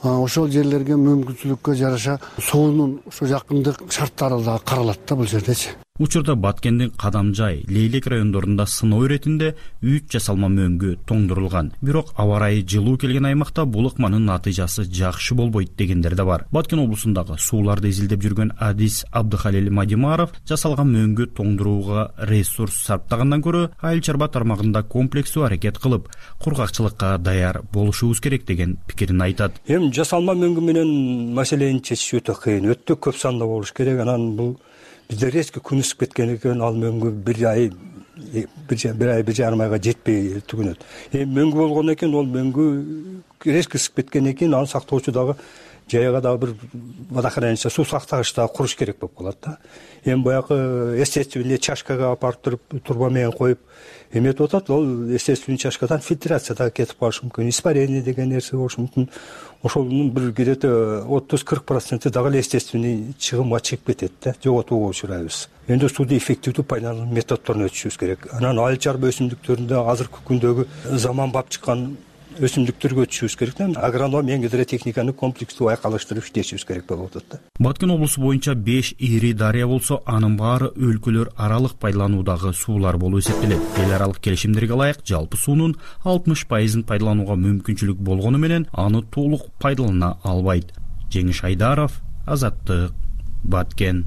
Ошол жерлерге мүмкүнчүлүккө жараша суунун ушу жакындык шарттары да каралат да бул жердечи. Учурда Баткендин Кадамжай, Лейлек райондорунда сыноо иретинде 3 жасалма мөңгү тоңдурулган. Бирок аба ырайы жылуу келген аймакта бул ыкманын натыйжасы жакшы болбойт дегендер да бар. Баткен облусундагы сууларды изилдеп жүргөн Адис Абдыхалил Мадимаров жасалган мөңгү тоңдурууга ресурс сарптагандан көрө айыл чарба тармагында комплекстүү аракет кылып, кургакчылыкка даяр болушубуз керек деген пикирин айтат. Эми жасалма мөңгү менен маселени чечиш өтө кыйын, өтө көп санда болуш керек. Анан бул бизде резко күн ысып кеткен экен, ал мөңгү бир ай бир жарым айга жетпей түгүнөт. Мөңгү болгондон кийин ол мөңгү резко ысып кеткенден кийин аны сактоочу дагы жайга дагы бир водохранилище суу сактагыч дагы куруш керек болуп калат да. Эми баягы естественный чашкага алып барып туруп турба менен коюп эметип атат. Ол естественный чашкадан фильтрация дагы кетип калышы мүмкүн, испарение деген нерсе болушу мүмкүн. Ошонун бир где-то 30-40% дагы эле естественный чыгымга чыгып кетет да, жоготууга учурайбыз. Эми сууну эффективдүү пайдалануу методдорун өтүшүбүз керек. Анан айыл чарба өсүмдүктөрүндө азыркы күндөгү заманбап чыккан өсүмдүктөргө өтүшүбүз керек да. Агроном менен гидротехниканы комплекстүү айкалыштырып иштешибиз керек болуп атат да. Баткен облусу боюнча 5 ири дарыя болсо, анын баары өлкөлөр аралык пайдалануудагы суулар болуп эсептелет. Эл аралык келишимдерге ылайык жалпы суунун 60% пайдаланууга мүмкүнчүлүк болгону менен аны толук пайдалана албайт. Жеңиш Айдаров, Азаттык, Баткен.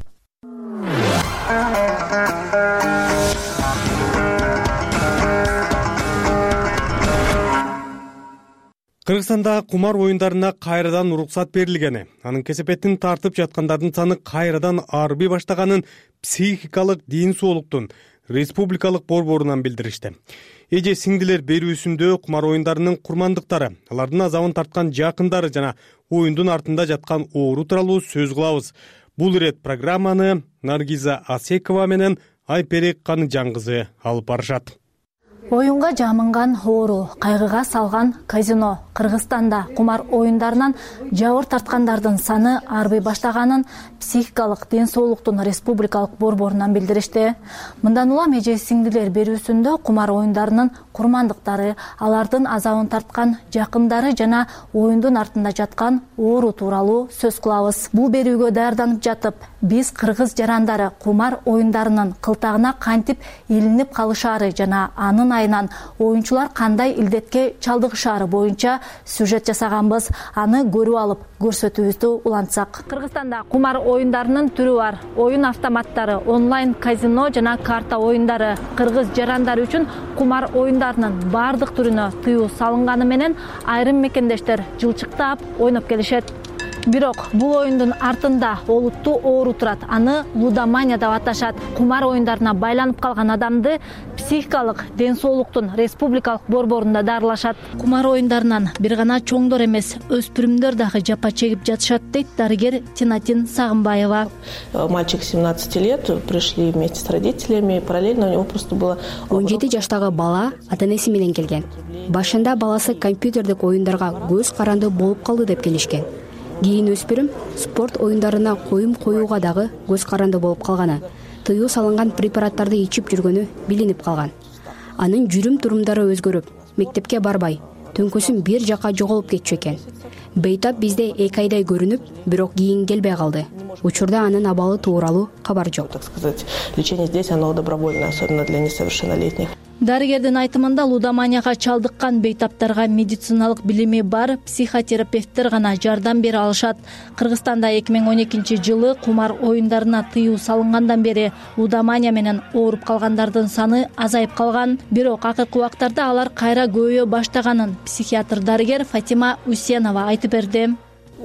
Кыргызстанда кумар оюндарына кайрадан уруксат берилгени, анын кесепетин тартып жаткандардын саны кайрадан арбый баштаганын психикалык ден соолуктун республикалык борборунан билдиришти. Эже сиңдилер берүүсүндө кумар оюндарынын курмандыктары, алардын азабын тарткан жакындары жана оюндун артында жаткан оору тууралуу сөз кылабыз. Бул ирет программаны Наргиза Асекова менен Айперек Каныжан-кызы алып барышат. Оюнга жамынган оору, кайгыга салган казино. Кыргызстанда кумар оюндарынан жабыр тарткандардын саны арбый баштаганын психикалык ден соолуктун республикалык борборунан билдиришти. Мындан улам эже сиңдилер берүүсүндө кумар оюндарынын курмандыктары, алардын азабын тарткан жакындары жана оюндун артында жаткан оору тууралуу сөз кылабыз. Бул берүүгө даярданып жатып, биз кыргыз жарандары кумар оюндарынын кылтагына кантип илинип калышаары жана анын айынан оюнчулар кандай илдетке чалдыгышаары боюнча сюжет жасаганбыз. Аны көрүп алып көрсөтүүбүздү улантсак. Кыргызстанда кумар оюндарынын түрү бар. Оюн автоматтары, онлайн казино жана карта оюндары. Кыргыз жарандары үчүн кумар оюндарынын бардык түрүнө тыюу салынганы менен айрым мекендештер жылчыктап ойноп келишет. Бирок бул оюндун артында олуттуу оору турат. Аны лудомания деп аташат. Кумар оюндарына байланып калган адамды психикалык ден соолуктун республикалык борборунда дарылашат. Кумар оюндарынан бир гана чоңдор эмес, өспүрүмдөр дагы жапа чегип жатышат, дейт дарыгер Тинатин Сагынбаева. Мальчик 17 лет, пришли вместе с родителями, параллельно у него просто было 17 жаштагы бала ата-энеси менен келген. Башында баласы компьютердик оюндарга көз каранды болуп калды деп келишкен. Кийин өспүрүм спорт оюндарына коюм коюуга дагы көз каранды болуп калганы, тыюу салынган препараттарды ичип жүргөнү билинип калган. Анын жүрүм турумдары өзгөрүп, мектепке барбай, төңкөсүн бир жака жоголуп кетчү экен. Бейтап бизде 2 айдай көрүнүп, бирок кийин келбей калды. Учурда анын абалы тууралуу кабар жок. Так сказать, лечение здесь оно добровольное, особенно для несовершеннолетних. Дарыгердин айтымында лудоманияга чалдыккан бейтаптарга медициналык билими бар психотерапевттер гана жардам бере алышат. Кыргызстанда 2012-жылы кумар оюндарына тыюу салынгандан бери лудомания менен ооруп калгандардын саны азайып калган. Бирок акыркы убактарда алар кайра көбөйө баштаганын психиатр дарыгер Фатима Усенова айтып берди.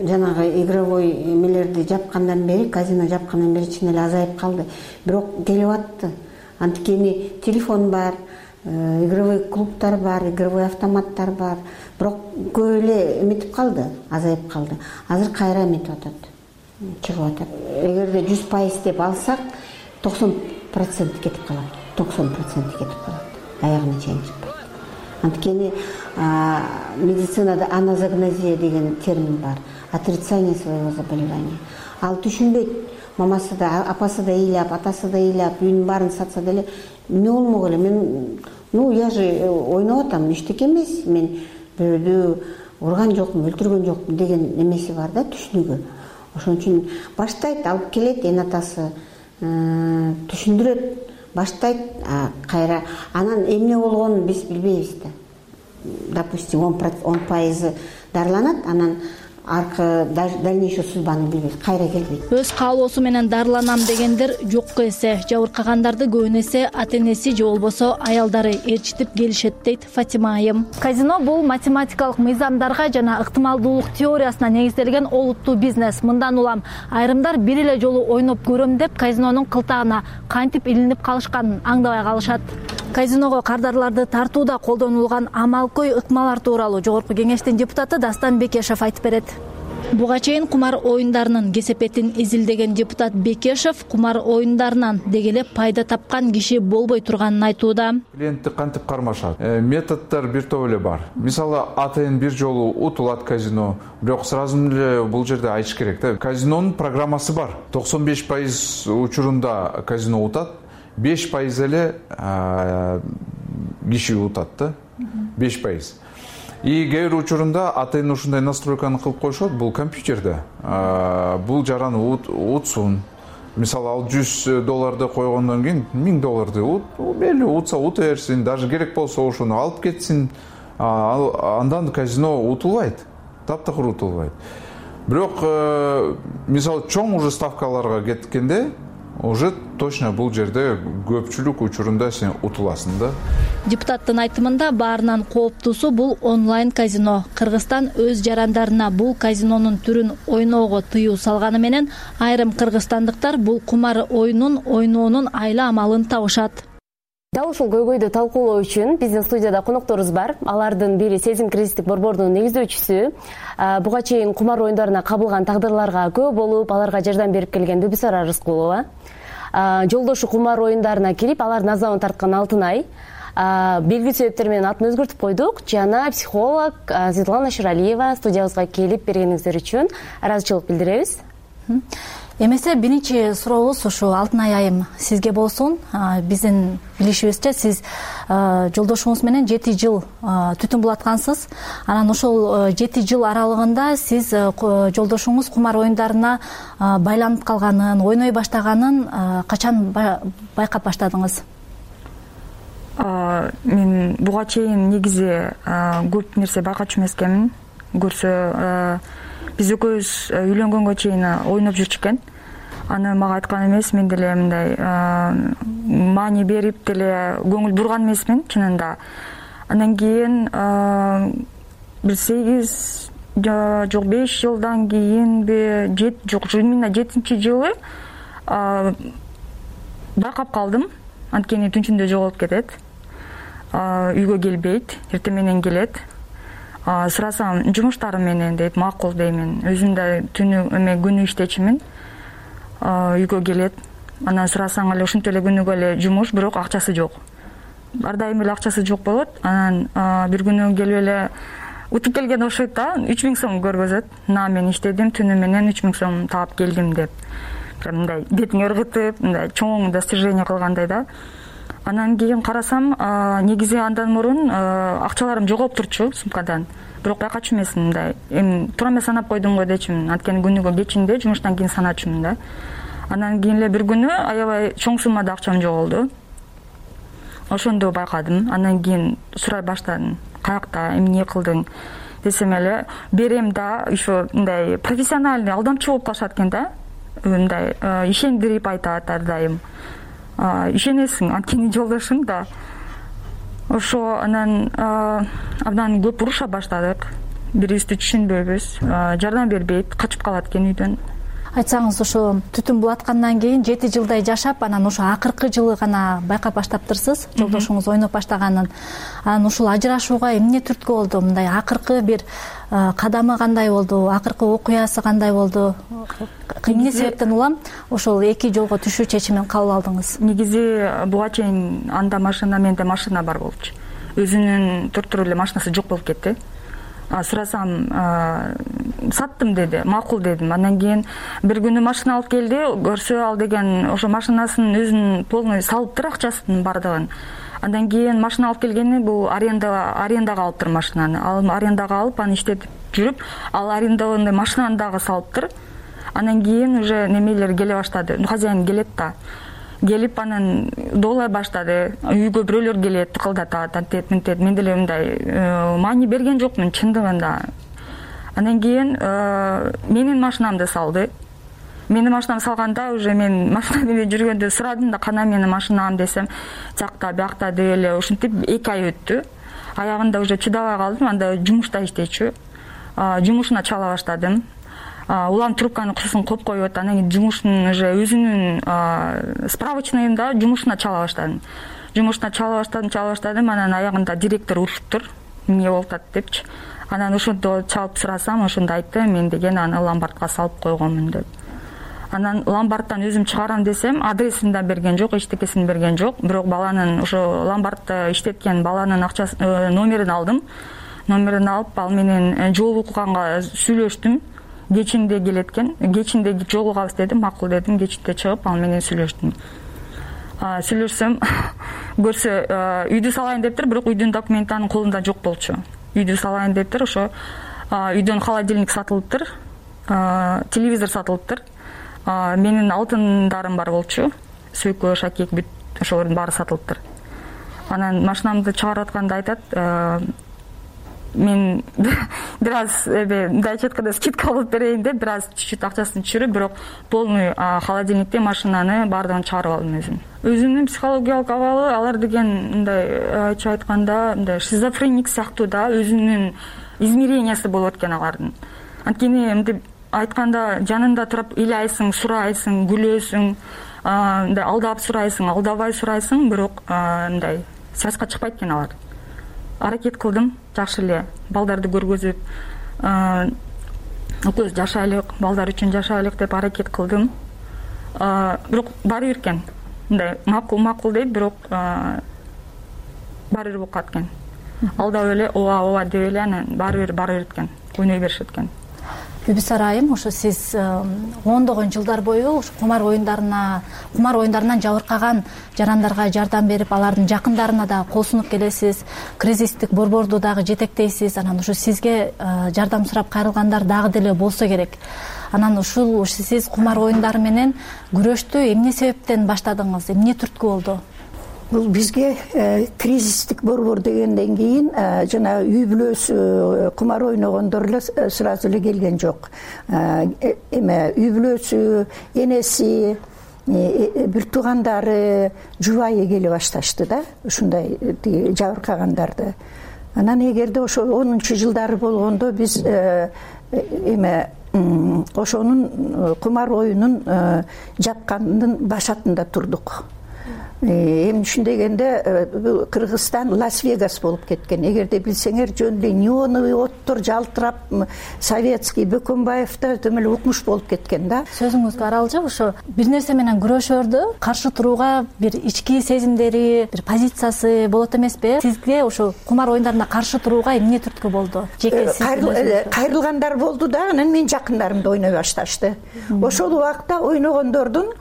Жанагы игровой эмелерди жапкандан бери, казино жапкандан бери чын эле азайып калды. Бирок келип атты. Анткени телефон бар, игровой клубтар бар, игровой автоматтар бар. Бирок көп эле эметип калды, азайып калды. Азыр кайра эметип атат. чыгып атат. Эгерде 100% деп алсак 90% кетип калат. 90% кетип калат. Аягына чейин чыкпайт. Анткени медицинада аназогнозия деген термин бар. Отрицание своего заболевания. Ал түшүнбөйт. Мамасы да, апасы да ыйлап, атасы да ыйлап, үйүнүн баарын сатса деле эмне болмок эле? Мен, я же ойноп атам, эчтеке эмес. Мен бирөөдү урган жокмун, өлтүргөн жокмун деген эмеси бар да, түшүнүгү. Ошон үчүн баштайт, алып келет эн атасы, түшүндүрөт, баштайт, кайра анан эмне болгонун биз билбейбиз да. Допустим, 10% дарыланат, анан аркы дальнейший судьбаны билбейт, кайра келбейт. Өз каалоосу менен дарыланам дегендер жокко эсе. Жабыркагандарды көбүн эсе ата-энеси же болбосо аялдары ээрчитип келишет дейт Фатима айым. Казино бул математикалык мыйзамдарга жана ыктымалдуулук теориясына негизделген олуттуу бизнес. Мындан улам айрымдар бир эле жолу ойноп көрөм деп казинонун кылтагына кантип илинип калышканын аңдабай калышат. Казиного кардарларды тартууда колдонулган амалкой ыкмалар тууралуу Жогорку Кеңештин депутаты Дастан Бекешев айтып берет. Буга чейин кумар оюндарынын кесепетин изилдеген депутат Бекешев кумар оюндарынан дегеле пайда тапкан киши болбой турганын айтууда. Клиентти кантип кармашат? Методдор бир топ эле бар. Мисалы, атайын бир жолу утулат казино, бирок сразу эле бул жерде айтыш керек да. Казинонун программасы бар. 95% учурунда казино утат, 5% эле киши утат да. 5%. И кээ бир учурунда атайын ушундай настройканы кылып коюшат, бул компьютерде. Бул жараны утсун. Мисалы, ал $100 койгондон кийин $1000 мейли утса ута берсин, даже керек болсо ошону алып кетсин. Андан казино утулбайт. Таптакыр утулбайт. Бирок мисалы чоң уже ставкаларга кеткенде уже точно бул жерде көпчүлүк учурунда сен утуласың да. Депутаттын айтымында баарынан кооптуусу бул онлайн казино. Кыргызстан өз жарандарына бул казинонун түрүн ойноого тыюу салганы менен айрым кыргызстандыктар бул кумар оюнун ойноонун айла амалын табышат. Дал ушул көйгөйдү талкуулоо үчүн биздин студияда конокторубуз бар. Алардын бири Сезим кризистик борбордун негиздөөчүсү. Буга чейин кумар оюндарына кабылган тагдырларга көп болуп, аларга жардам берип келген Дүбүсара Рыскулова. Жолдошу кумар оюндарына кирип, алардын азабын тарткан Алтынай. Белгилүү себептер менен атын өзгөртүп койдук. Жана психолог Светлана Шуралиева студиябызга келип бергениңиздер үчүн ыраазычылык билдиребиз. Эмесе биринчи сурообуз ушу Алтынай айым сизге болсун. Биздин билишибизче сиз жолдошуңуз менен 7 жыл түтүн булаткансыз. Анан ошол 7 жыл аралыгында сиз жолдошуңуз кумар оюндарына байланып калганын, ойной баштаганын качан байкап баштадыңыз? Мен буга чейин негизи көп нерсе байкачу эмес экенмин. Көрсө биз экөөбүз үйлөнгөнгө чейин ойноп жүрчү. Аны мага айткан эмес, мен деле мындай маани берип деле көңүл бурган эмесмин чынында. Андан кийин бир 8 жок 5 жылдан кийинби, жок именно 7-жылы байкап калдым. Анткени түнчүндө жоголуп кетет. Үйгө келбейт, эртең менен келет. Сурасам жумуштарым менен дейт, макул деймин. Өзүм да күнү иштечимин. Үйгө келет. Анан сурасаң эле ушинтип эле күнүгө эле жумуш, бирок акчасы жок. Ар дайым эле акчасы жок болот. Анан бир күнү келип эле утуп келген окшойт да, 3000 сом көргөзөт. Мен иштедим, түнү менен 3000 сом таап келдим деп. Мындай бетиң ыргытып, мындай чоң достижение кылгандай да. Анан кийин карасам, негизи андан мурун акчаларым жоголуп турчу сумкадан. Бирок байкачу эмесмин, мындай. Эми туура эмес санап койдум го дечимин. Анткени күнүгө кечинде жумуштан кийин саначумун да. Анан кийин эле бир күнү аябай чоң суммада акчам жоголду. Ошондо байкадым. Андан кийин сурай баштадым. Каякта, эмне кылдың десем эле, берем да, ошо мындай профессиональный алдамчы болуп калышат экен да. Мындай ишендирип айтат ар дайым. Ишенесиң, анткени жолдошуң да. Ошо анан абдан көп уруша баштадык. Бирибизди түшүнбөйбүз, жардам бербейт, качып калат экен үйдөн. Айтсаңыз, ошо түтүн булаткандан кийин 7 жылдай жашап, анан ошо акыркы жылы гана байкап баштаптырсыз, жолдошуңуз ойноп баштаганын. Анан ушул ажырашууга эмне түрткү болду? Мындай акыркы бир кадамы кандай болду? Акыркы окуясы кандай болду? Эмне себептен улам ошол эки жолго түшүү чечимин кабыл алдыңыз? Негизи буга чейин анда машина, менде машина бар болчу. Өзүнүн туруп эле машинасы жок болуп кетти. Сурасам, саттым деди, макул дедим. Андан кийин бир күнү машина алып келди, көрсө ал деген ошо машинасын өзүн полный салыптыр, акчасын бардыгын. Андан кийин машина алып келгени бул арендага алыптыр машинаны. Ал арендага алып, аны иштетип жүрүп, ал арендованный машинаны дагы салыптыр. Андан кийин уже немелер келе баштады. Хозяин келет да. Келип анан доолай баштады. Үйгө бирөөлөр келет, кылдатат, антет, мынтет. Мен деле мындай маани берген жокмун чындыгында. Андан кийин менин машинамды салды. Менин машинамды салганда уже мен машина менен жүргөндө сурадым да, кана менин машинам десем, жакта, биякта деп эле ушинтип 2 ай өттү. Аягында уже чыдабай калдым, анда жумушта иштечү. Жумушуна чала баштадым. Улам трубканы курсун коюп коюп, анан кийин жумуштун уже өзүнүн справочныйында жумушуна чала баштадым. Жумушуна чала баштадым, анан аягында директор урушуптур, эмне болуп атат депчи. Анан ошондо чалып сурасам, ошондо айтты, мен деген аны ломбардка салып койгонмун деп. Анан ломбардтан өзүм чыгарам десем, адресин да берген жок, эчтекесин берген жок. Бирок баланын ошо ломбардты иштеткен баланын акчасын, номерин алдым. Номерин алып, ал менен жолукканга сүйлөштүм. Кечинде келет экен, кечинде жолугабыз дедим, макул дедим, кечинде чыгып ал менен сүйлөштүм. Сүйлөшсөм, көрсө үйдү салайын дептир, бирок үйдүн документи анын колунда жок болчу. Үйдү салайын дептир, ошо үйдөн холодильник сатылыптыр, телевизор сатылыптыр. Менин алтындарым бар болчу, сөйкө, шакек, бүт ошолордун баары сатылыптыр. Анан машинамды чыгарып атканда айтат, мен бир аз мындай айтканда скидка кылып берейин деп, бир аз чуть-чуть акчасын түшүрүп, бирок полный холодильникте машинаны баардыгын чыгарып алдым өзүм. Өзүнүн психологиялык абалы, алар деген мындай ачык айтканда, мындай шизофреник сыяктуу да, өзүнүн измерениясы болот экен алардын. Анткени мынтип айтканда жанында туруп ыйлайсың, сурайсың, күлөсүң, мындай алдап сурайсың, алдабай сурайсың, бирок мындай связька чыкпайт экен алар. Аракет кылдым, жакшы эле балдарды көргөзүп, экөөбүз жашайлык, балдар үчүн жашайлык деп аракет кылдым. Бирок баары бир экен. Мындай макул дейт, бирок баары бир болуп калат экен. Алдап эле ооба деп эле анан баары бир экен. Ойной беришет экен. Бүбүсара айым, ошо сиз ондогон жылдар бою кумар оюндарынан жабыркаган жарандарга жардам берип, алардын жакындарына да кол сунуп келесиз, кризистик борборду дагы жетектейсиз. Анан ушу сизге жардам сурап кайрылгандар дагы деле болсо керек. Анан ушул сиз кумар оюндары менен күрөштү эмне себептен баштадыңыз, эмне түрткү болду? Бул бизге кризистик борбор дегенден кийин жана үй бүлөсү кумар ойногондор эле сразу эле келген жок. Үй бүлөсү, энеси, бир туугандары, жубайы келе башташты да, ушундай жабыркагандарды. Анан эгерде ошо 10-жылдары болгондо биз ошонун кумар оюнун жапкандын башатында турдук. Эми түшүндөгөндө бул Кыргызстан Лас-Вегас болуп кеткен. Эгерде билсеңер, жөн неоновый оттор жалтырап, советский Бөкөнбаевда төм эле укмуш болуп кеткен да. Сөзүңүзгө аралжып, ошо бир нерсе менен күрөшөрдү каршы турууга бир ички сезимдери, бир позициясы болот эмеспи? Сизге ошо кумар оюндарына каршы турууга эмне түрткү болду? Кайрылгандар болду да, анан менин жакындарымды ойной башташты. Ошол убакта ойногондордун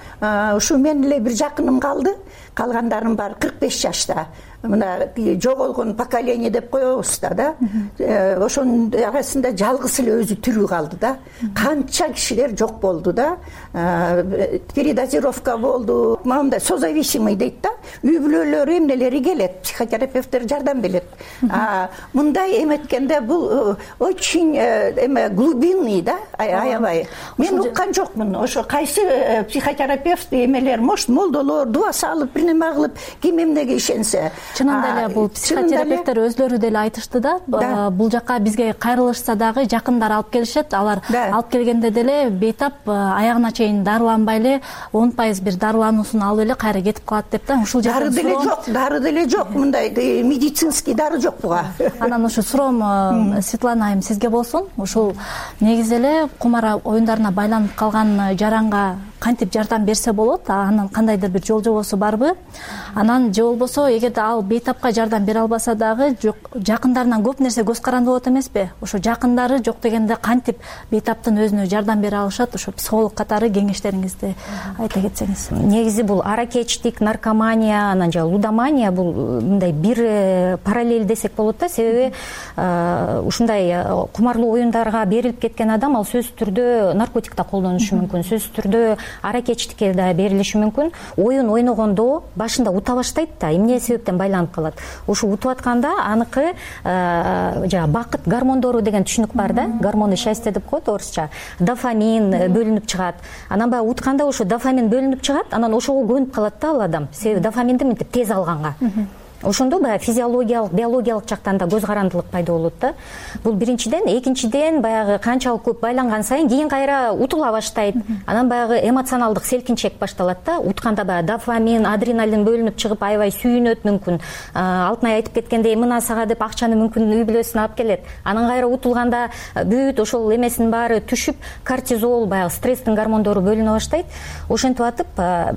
ушу мен эле бир жакыным калды. Калгандарым бар 45 жашта. Мына жоголгон поколение деп коебуз да. Ошонун арасында жалгыз эле өзү тирүү калды да. Канча кишилер жок болду да. Передозировка болду. Мындай созависимый дейт да. Үй бүлөлөрү эмнелери келет, психотерапевттер жардам берет. Мындай эметкенде бул очень глубинный да, аябай. Мен уккан жокмун. Ошо кайсы психотерапевт эмелер, может, молдолор дуа салып, бир неме кылып, ким эмнеге ишенсе. чынында эле бул психотерапевттер өзлөрү деле айтышты да, бул жака бизге кайрылышса дагы жакындар алып келишет, алар алып келгенде деле бейтап аягына чейин дарыланбай эле 10% бир дарылануусун алып эле кайра кетип калат деп да. Ушул жерде дары деле жок, мындай медицинский дары жок буга. Анан ушу суроом Светлана айым сизге болсун. Ушул негизи эле кумар оюндарына байланып калган жаранга кантип жардам берсе болот, анан кандайдыр бир жол жобосу барбы? Анан же болбосо эгерде ал бейтапка жардам бере албаса дагы жакындарынан көп нерсе көз каранды болот эмеспи? Ошо жакындары жок дегенде кантип бейтаптын өзүнө жардам бере алышат? Ошо психолог катары кеңештериңизди айта кетсеңиз. Негизи бул аракечтик, наркомания, анан же лудомания бул мындай бир параллель десек болот да. Себеби ушундай кумарлуу оюндарга берилип кеткен адам ал сөзсүз түрдө наркотик да колдонушу мүмкүн, сөзсүз түрдө аракечтикке да берилиши мүмкүн. Оюн ойногондо башында ута баштайт да, эмне себептен байланып калат. Ушу утуп атканда аныкы бакыт гормондору деген түшүнүк бар да, гормоны счастья деп коет орусча. Дофамин бөлүнүп чыгат. Анан баягы утканда ошо дофамин бөлүнүп чыгат, анан ошого көнүп калат да ал адам. Себеби дофаминди мынтип тез алганга. Ошондо баягы физиологиялык, биологиялык жактан да көз карандылык пайда болот да. Бул биринчиден, экинчиден баягы канчалык көп байланган сайын кийин кайра утула баштайт. Анан баягы эмоционалдык селкинчек башталат да. Утканда баягы дофамин, адреналин бөлүнүп чыгып аябай сүйүнөт мүмкүн. Алтынай айтып кеткендей, мына сага деп акчаны мүмкүн үй бүлөсүнө алып келет. Анан кайра утулганда бүт ошол эмесинин баары түшүп, кортизол, баягы стресстин гормондору бөлүнө баштайт. Ошентип атып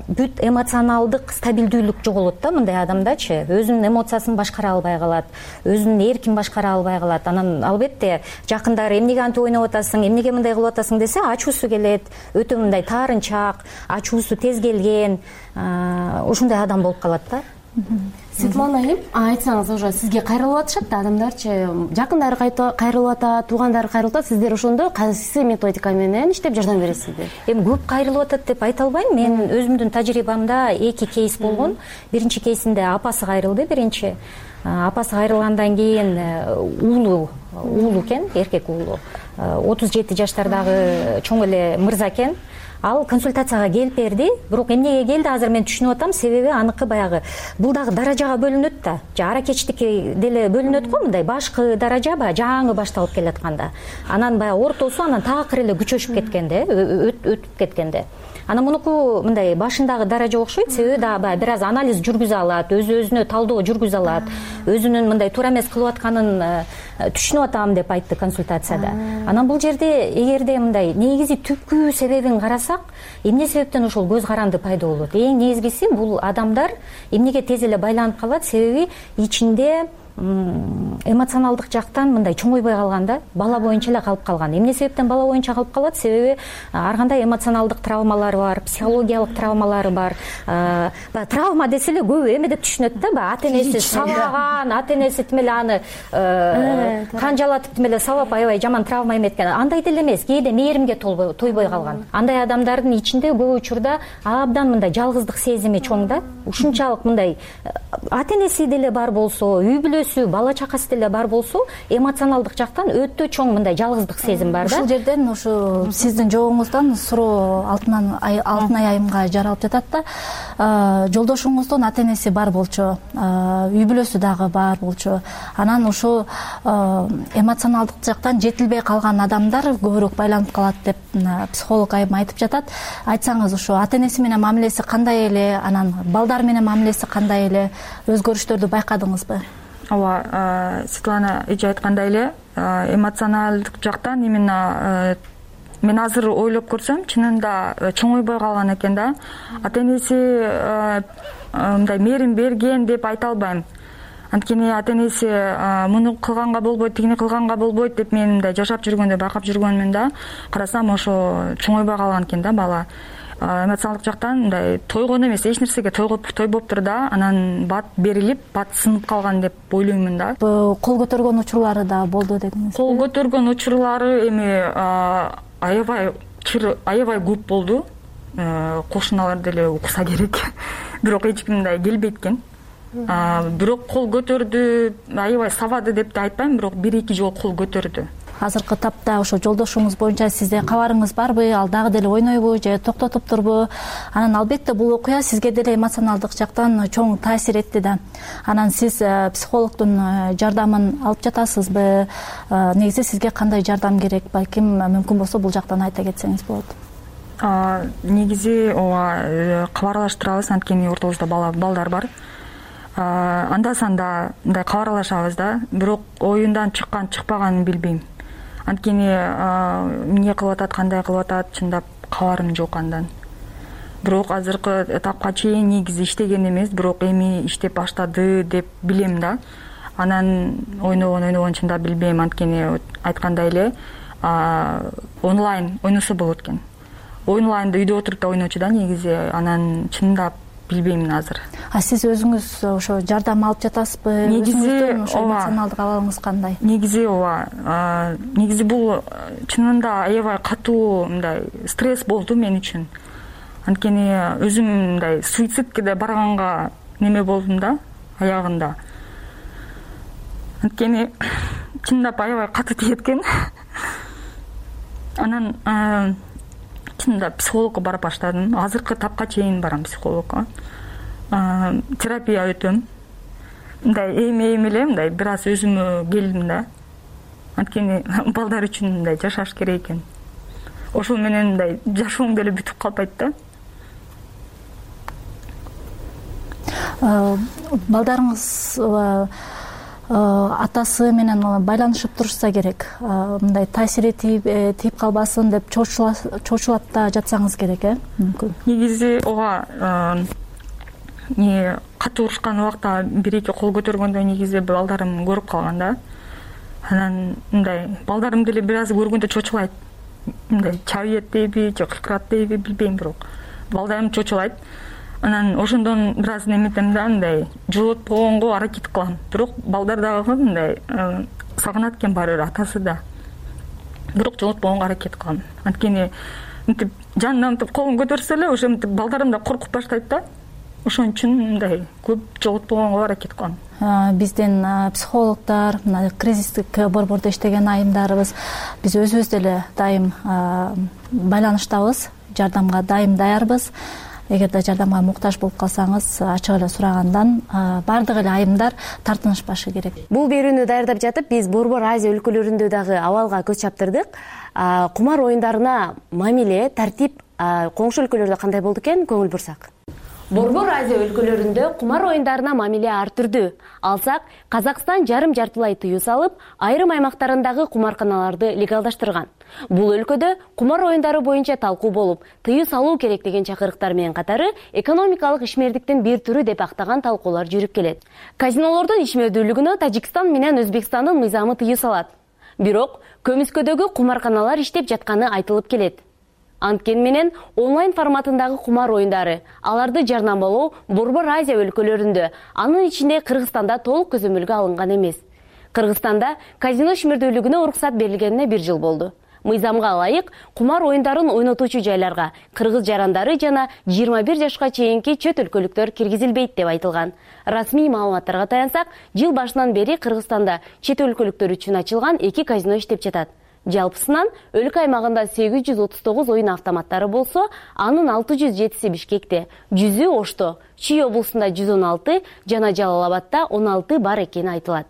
бүт эмоционалдык стабилдүүлүк жоголот да мындай адамдачы. Өзүнүн эмоциясын башкара албай калат, өзүнүн эркин башкара албай калат. Анан албетте жакындары эмнеге антип ойноп атасың, эмнеге мындай кылып атасың десе, ачуусу келет, өтө мындай таарынчаак, ачуусу тез келген, ушундай адам болуп калат да. Светлана айым, айтсаңыз, уже сизге кайрылып атышат да адамдарчы, жакындары кайрылып атат, туугандары кайрылып атат, сиздер ошондо кайсы методика менен иштеп жардам бересиздер? Эми көп кайрылып атат деп айта албайм. Мен өзүмдүн тажрыйбамда 2 кейс болгон. Биринчи кейсинде апасы кайрылды, биринчи. Апасы кайрылгандан кийин уулу экен, эркек уулу. 37 жаштардагы чоң эле мырза экен. Ал консультацияга келип берди, бирок эмнеге келди азыр мен түшүнүп атам, себеби аныкы баягы бул дагы даражага бөлүнөт да. Аракечтикке деле бөлүнөт го, мындай башкы даража баягы жаңы башталып келатканда. Анан баягы ортосу анан такыр эле күчөшүп кеткенде, өтүп кеткенде. Анан мунуку мындай башындагы даража окшойт, себеби дагы баягы бир аз анализ жүргүзө алат, өзүнө талдоо жүргүзө алат, өзүнүн мындай туура эмес кылып атканын түшүнүп атам деп айтты консультацияда. Анан бул жерде эгерде мындай негизи түпкү себебин карасак, эмне себептен ошол көз каранды пайда болот? Эң негизгиси бул адамдар эмнеге тез эле байланып калат, себеби ичинде эмоционалдык жактан мындай чоңойбой калган да, бала боюнча эле калып калган. Эмне себептен бала боюнча калып калат? Себеби ар кандай эмоционалдык травмалары бар, психологиялык травмалары бар. Травма десе эле көбү эме деп түшүнөт да, ата энеси сабаган, ата энеси тим эле аны канжалатып тим эле сабап аябай жаман травма эметкен. Андай деле эмес, кээде мээримге тойбой калган. Андай адамдардын ичинде көп учурда абдан мындай жалгыздык сезими чоң да. Ушунчалык мындай ата энеси деле бар болсо, үй бүлөсү, бала чакасы деле бар болсо, эмоционалдык жактан өтө чоң мындай жалгыздык сезим бар да. Ушул жерден ушу сиздин жообуңуздан суроо Алтынай айымга жаралып жатат да. Жолдошуңуздун ата энеси бар болчу, үй бүлөсү дагы бар болчу. Анан ушу эмоционалдык жактан жетилбей калган адамдар көбүрөөк байланып калат деп психолог айым айтып жатат. Айтсаңыз, ушу ата энеси менен мамилеси кандай эле, анан балдар менен мамилеси кандай эле, өзгөрүштөрдү байкадыңызбы? Ооба, Светлана эже айткандай эле, эмоционалдык жактан именно мен азыр ойлоп көрсөм, чынында чоңойбой калган экен да. Ата энеси мындай мээрим берген деп айта албайм. Анткени ата энеси муну кылганга болбойт, тигини кылганга болбойт деп мен мындай жашап жүргөндө, байкап жүргөнмүн да. Карасам ошо чоңойбой калган экен да бала. Эмоционалдык жактан мындай тойгон эмес, эч нерсеге тойбоптур да, анан бат берилип, бат сынып калган деп ойлоймун да. Кол көтөргөн учурлары да болду дедиңиз. Кол көтөргөн учурлары эми аябай көп болду. Кошуналар деле укса керек. Бирок эч ким мындай келбейт экен. Бирок кол көтөрдү, аябай сабады деп да айтпайм, бирок 1-2 жолу кол көтөрдү. азыркы тапта ошо жолдошуңуз боюнча сизде кабарыңыз барбы, ал дагы деле ойнойбу же токтотуптурбу? Анан албетте бул окуя сизге деле эмоционалдык жактан чоң таасир этти да. Анан сиз психологдун жардамын алып жатасызбы? Негизи сизге кандай жардам керек? Балким мүмкүн болсо бул жактан айта кетсеңиз болот. Негизи ооба кабарлаштырабыз, анткени ортобузда балдар бар. Анда санда мындай кабарлашабыз да, бирок оюндан чыккан чыкпаганын билбейм. Анткени эмне кылып атат, кандай кылып атат, чындап кабарым жок андан. Бирок азыркы этапка чейин негизи иштеген эмес, бирок эми иштеп баштады деп билем да. Анан ойногон чындап билбейм, анткени айткандай эле онлайн ойносо болот экен. Онлайнда үйдө отуруп да ойночу да негизи, анан чындап билбейм азыр. Сиз өзүңүз ошо жардам алып жатасызбы? Негизи эмоционалдык абалыңыз кандай? Негизи ооба. Негизи бул чынында аябай катуу мындай стресс болду мен үчүн. Анткени өзүм мындай суицидке да барганга неме болдум да, аягында. Анткени чындап аябай катуу тиет экен. Анан чындап психологко бара баштадым. Азыркы тапка чейин барам психологко. Терапия өтөм. Мындай эми эле мындай бир аз өзүмө келдим да. Анткени балдар үчүн мындай жашаш керек экен. Ошол менен мындай жашооң деле бүтүп калбайт да. Балдарыңыз атасы менен байланышып турушса керек. Мындай таасири тийип калбасын деп чочулап да жатсаңыз керек, мүмкүн. Негизи ооба катуу урушкан убакта бир-эки кол көтөргөндө негизи балдарым көрүп калган да. Анан мындай балдарым деле бир аз көргөндө чочулайт. Мындай чабыйт дейби, же кыйкырат дейби билбейм, бирок балдарым чочулайт. Анан ошондон бир аз неметем да, мындай жолотпогонго аракет кылам. Бирок балдар дагы мындай сагынат экен баары бир атасы да. Бирок жолотпогонго аракет кылам. Анткени мынтип жанынан колун көтөрсө эле ошо мынтип балдарым да коркуп баштайт да. Ошон үчүн мындай көп жолотпогонго аракет кылам. Биздин психологдор, кризистик борбордо иштеген айымдарыбыз, биз өзүбүз деле дайым байланыштабыз, жардамга дайым даярбыз. Эгерде жардамга муктаж болуп калсаңыз, ачык эле сурагандан баардык эле айымдар тартынышпашы керек. Бул берүүнү даярдап жатып, биз Борбор Азия өлкөлөрүндө дагы абалга көз чаптырдык. Кумар оюндарына мамиле, тартип коңшу өлкөлөрдө кандай болду экен, көңүл бурсак. Борбор Азия өлкөлөрүндө кумар оюндарына мамиле ар түрдүү. Алсак, Казакстан жарым-жартылай тыюу салып, айрым аймактарындагы кумарканаларды легалдаштырган. Бул өлкөдө кумар оюндары боюнча талкуу болуп, тыюу салуу керек деген чакырыктар менен катары экономикалык ишмердиктин бир түрү деп актаган талкуулар жүрүп келет. Казинолордун ишмердүүлүгүнө Тажикстан менен Өзбекстандын мыйзамы тыюу салат. Бирок көмүскөдөгү кумарканалар иштеп жатканы айтылып келет. Анткени менен онлайн форматындагы кумар оюндары, аларды жарнамалоо Борбор Азия өлкөлөрүндө, анын ичинде Кыргызстанда толук көзөмөлгө алынган эмес. Кыргызстанда казино ишмердүүлүгүнө уруксат берилгенине 1 жыл болду. Мыйзамга ылайык кумар оюндарын ойнотуучу жайларга кыргыз жарандары жана 21 жашка чейинки чөт өлкөлүктөр киргизилбейт деп айтылган. Расмий маалыматтарга таянсак, жыл башынан бери Кыргызстанда чет өлкөлүктөр үчүн ачылган 2 казино иштеп жатат. Жалпысынан өлкө аймагында 839 оюн автоматтары болсо, анын 607си Бишкекте, 100ü Ошто, Чүй облусунда 116 жана Жалал Абадта 16 бар экени айтылат.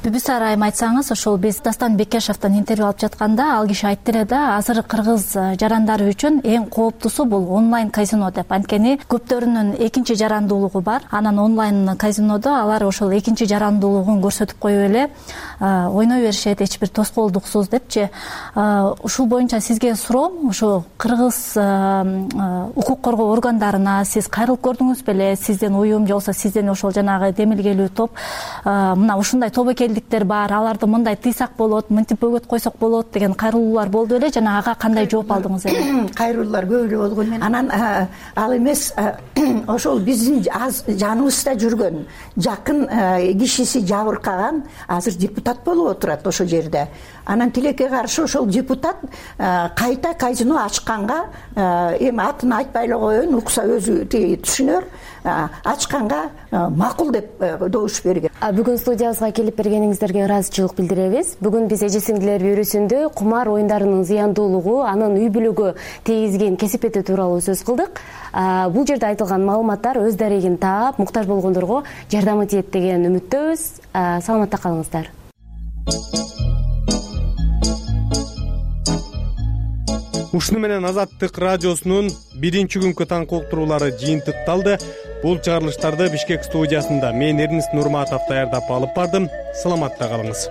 Бүбүсар айым айтсаңыз, ошол биз Дастан Бекешевден интервью алып жатканда ал киши айтты эле да, азыр кыргыз жарандары үчүн эң кооптусу бул онлайн казино деп. Анткени көптөрүнүн экинчи жарандуулугу бар. Анан онлайн казинодо алар ошол экинчи жарандуулугун көрсөтүп коюп эле ойной беришет, эч бир тоскоолдуксуз депчи. Ушул боюнча сизге суроом, ошо кыргыз укук коргоо органдарына сиз кайрылып көрдүңүз беле? Сизден уюм же болбосо сизден ошол жанагы демилгелүү топ мына ушундай тобокелдиктер бар, аларды мындай тыйсак болот, мынтип бөгөт койсок болот деген кайрылуулар болду эле жана ага кандай жооп алдыңыз эле? Кайрылуулар көп эле болгон менен анан ал эмес ошол биздин аз жаныбызда жүргөн жакын кишиси жабыркаган азыр депутат болуп отурат ошол жерде. Анан тилекке каршы ошол депутат кайта казино ачканга эми атын айтпай эле коеюн, укса өзү түшүнөр, ачканга макул деп добуш берген. Бүгүн студия студиябызга келип бергениңиздерге ыраазычылык билдиребиз. Бүгүн биз эже сиңдилер бюросунда кумар оюндарынын зыяндуулугу, анын үй бүлөгө тийгизген кесипети тууралуу сөз кылдык. Бул жерде айтылган маалыматтар өз дарегин таап, муктаж болгондорго жардамы тиет деген үмүттөбүз. Саламатта калыңыздар. Ушуну менен Азаттык радиосунун биринчи күнкү таңкы уктуруулары жыйынтыкталды. Бул чыгарылыштарды Бишкек студиясында мен Эрнист Нурматов даярдап алып бардым. Саламатта калыңыз.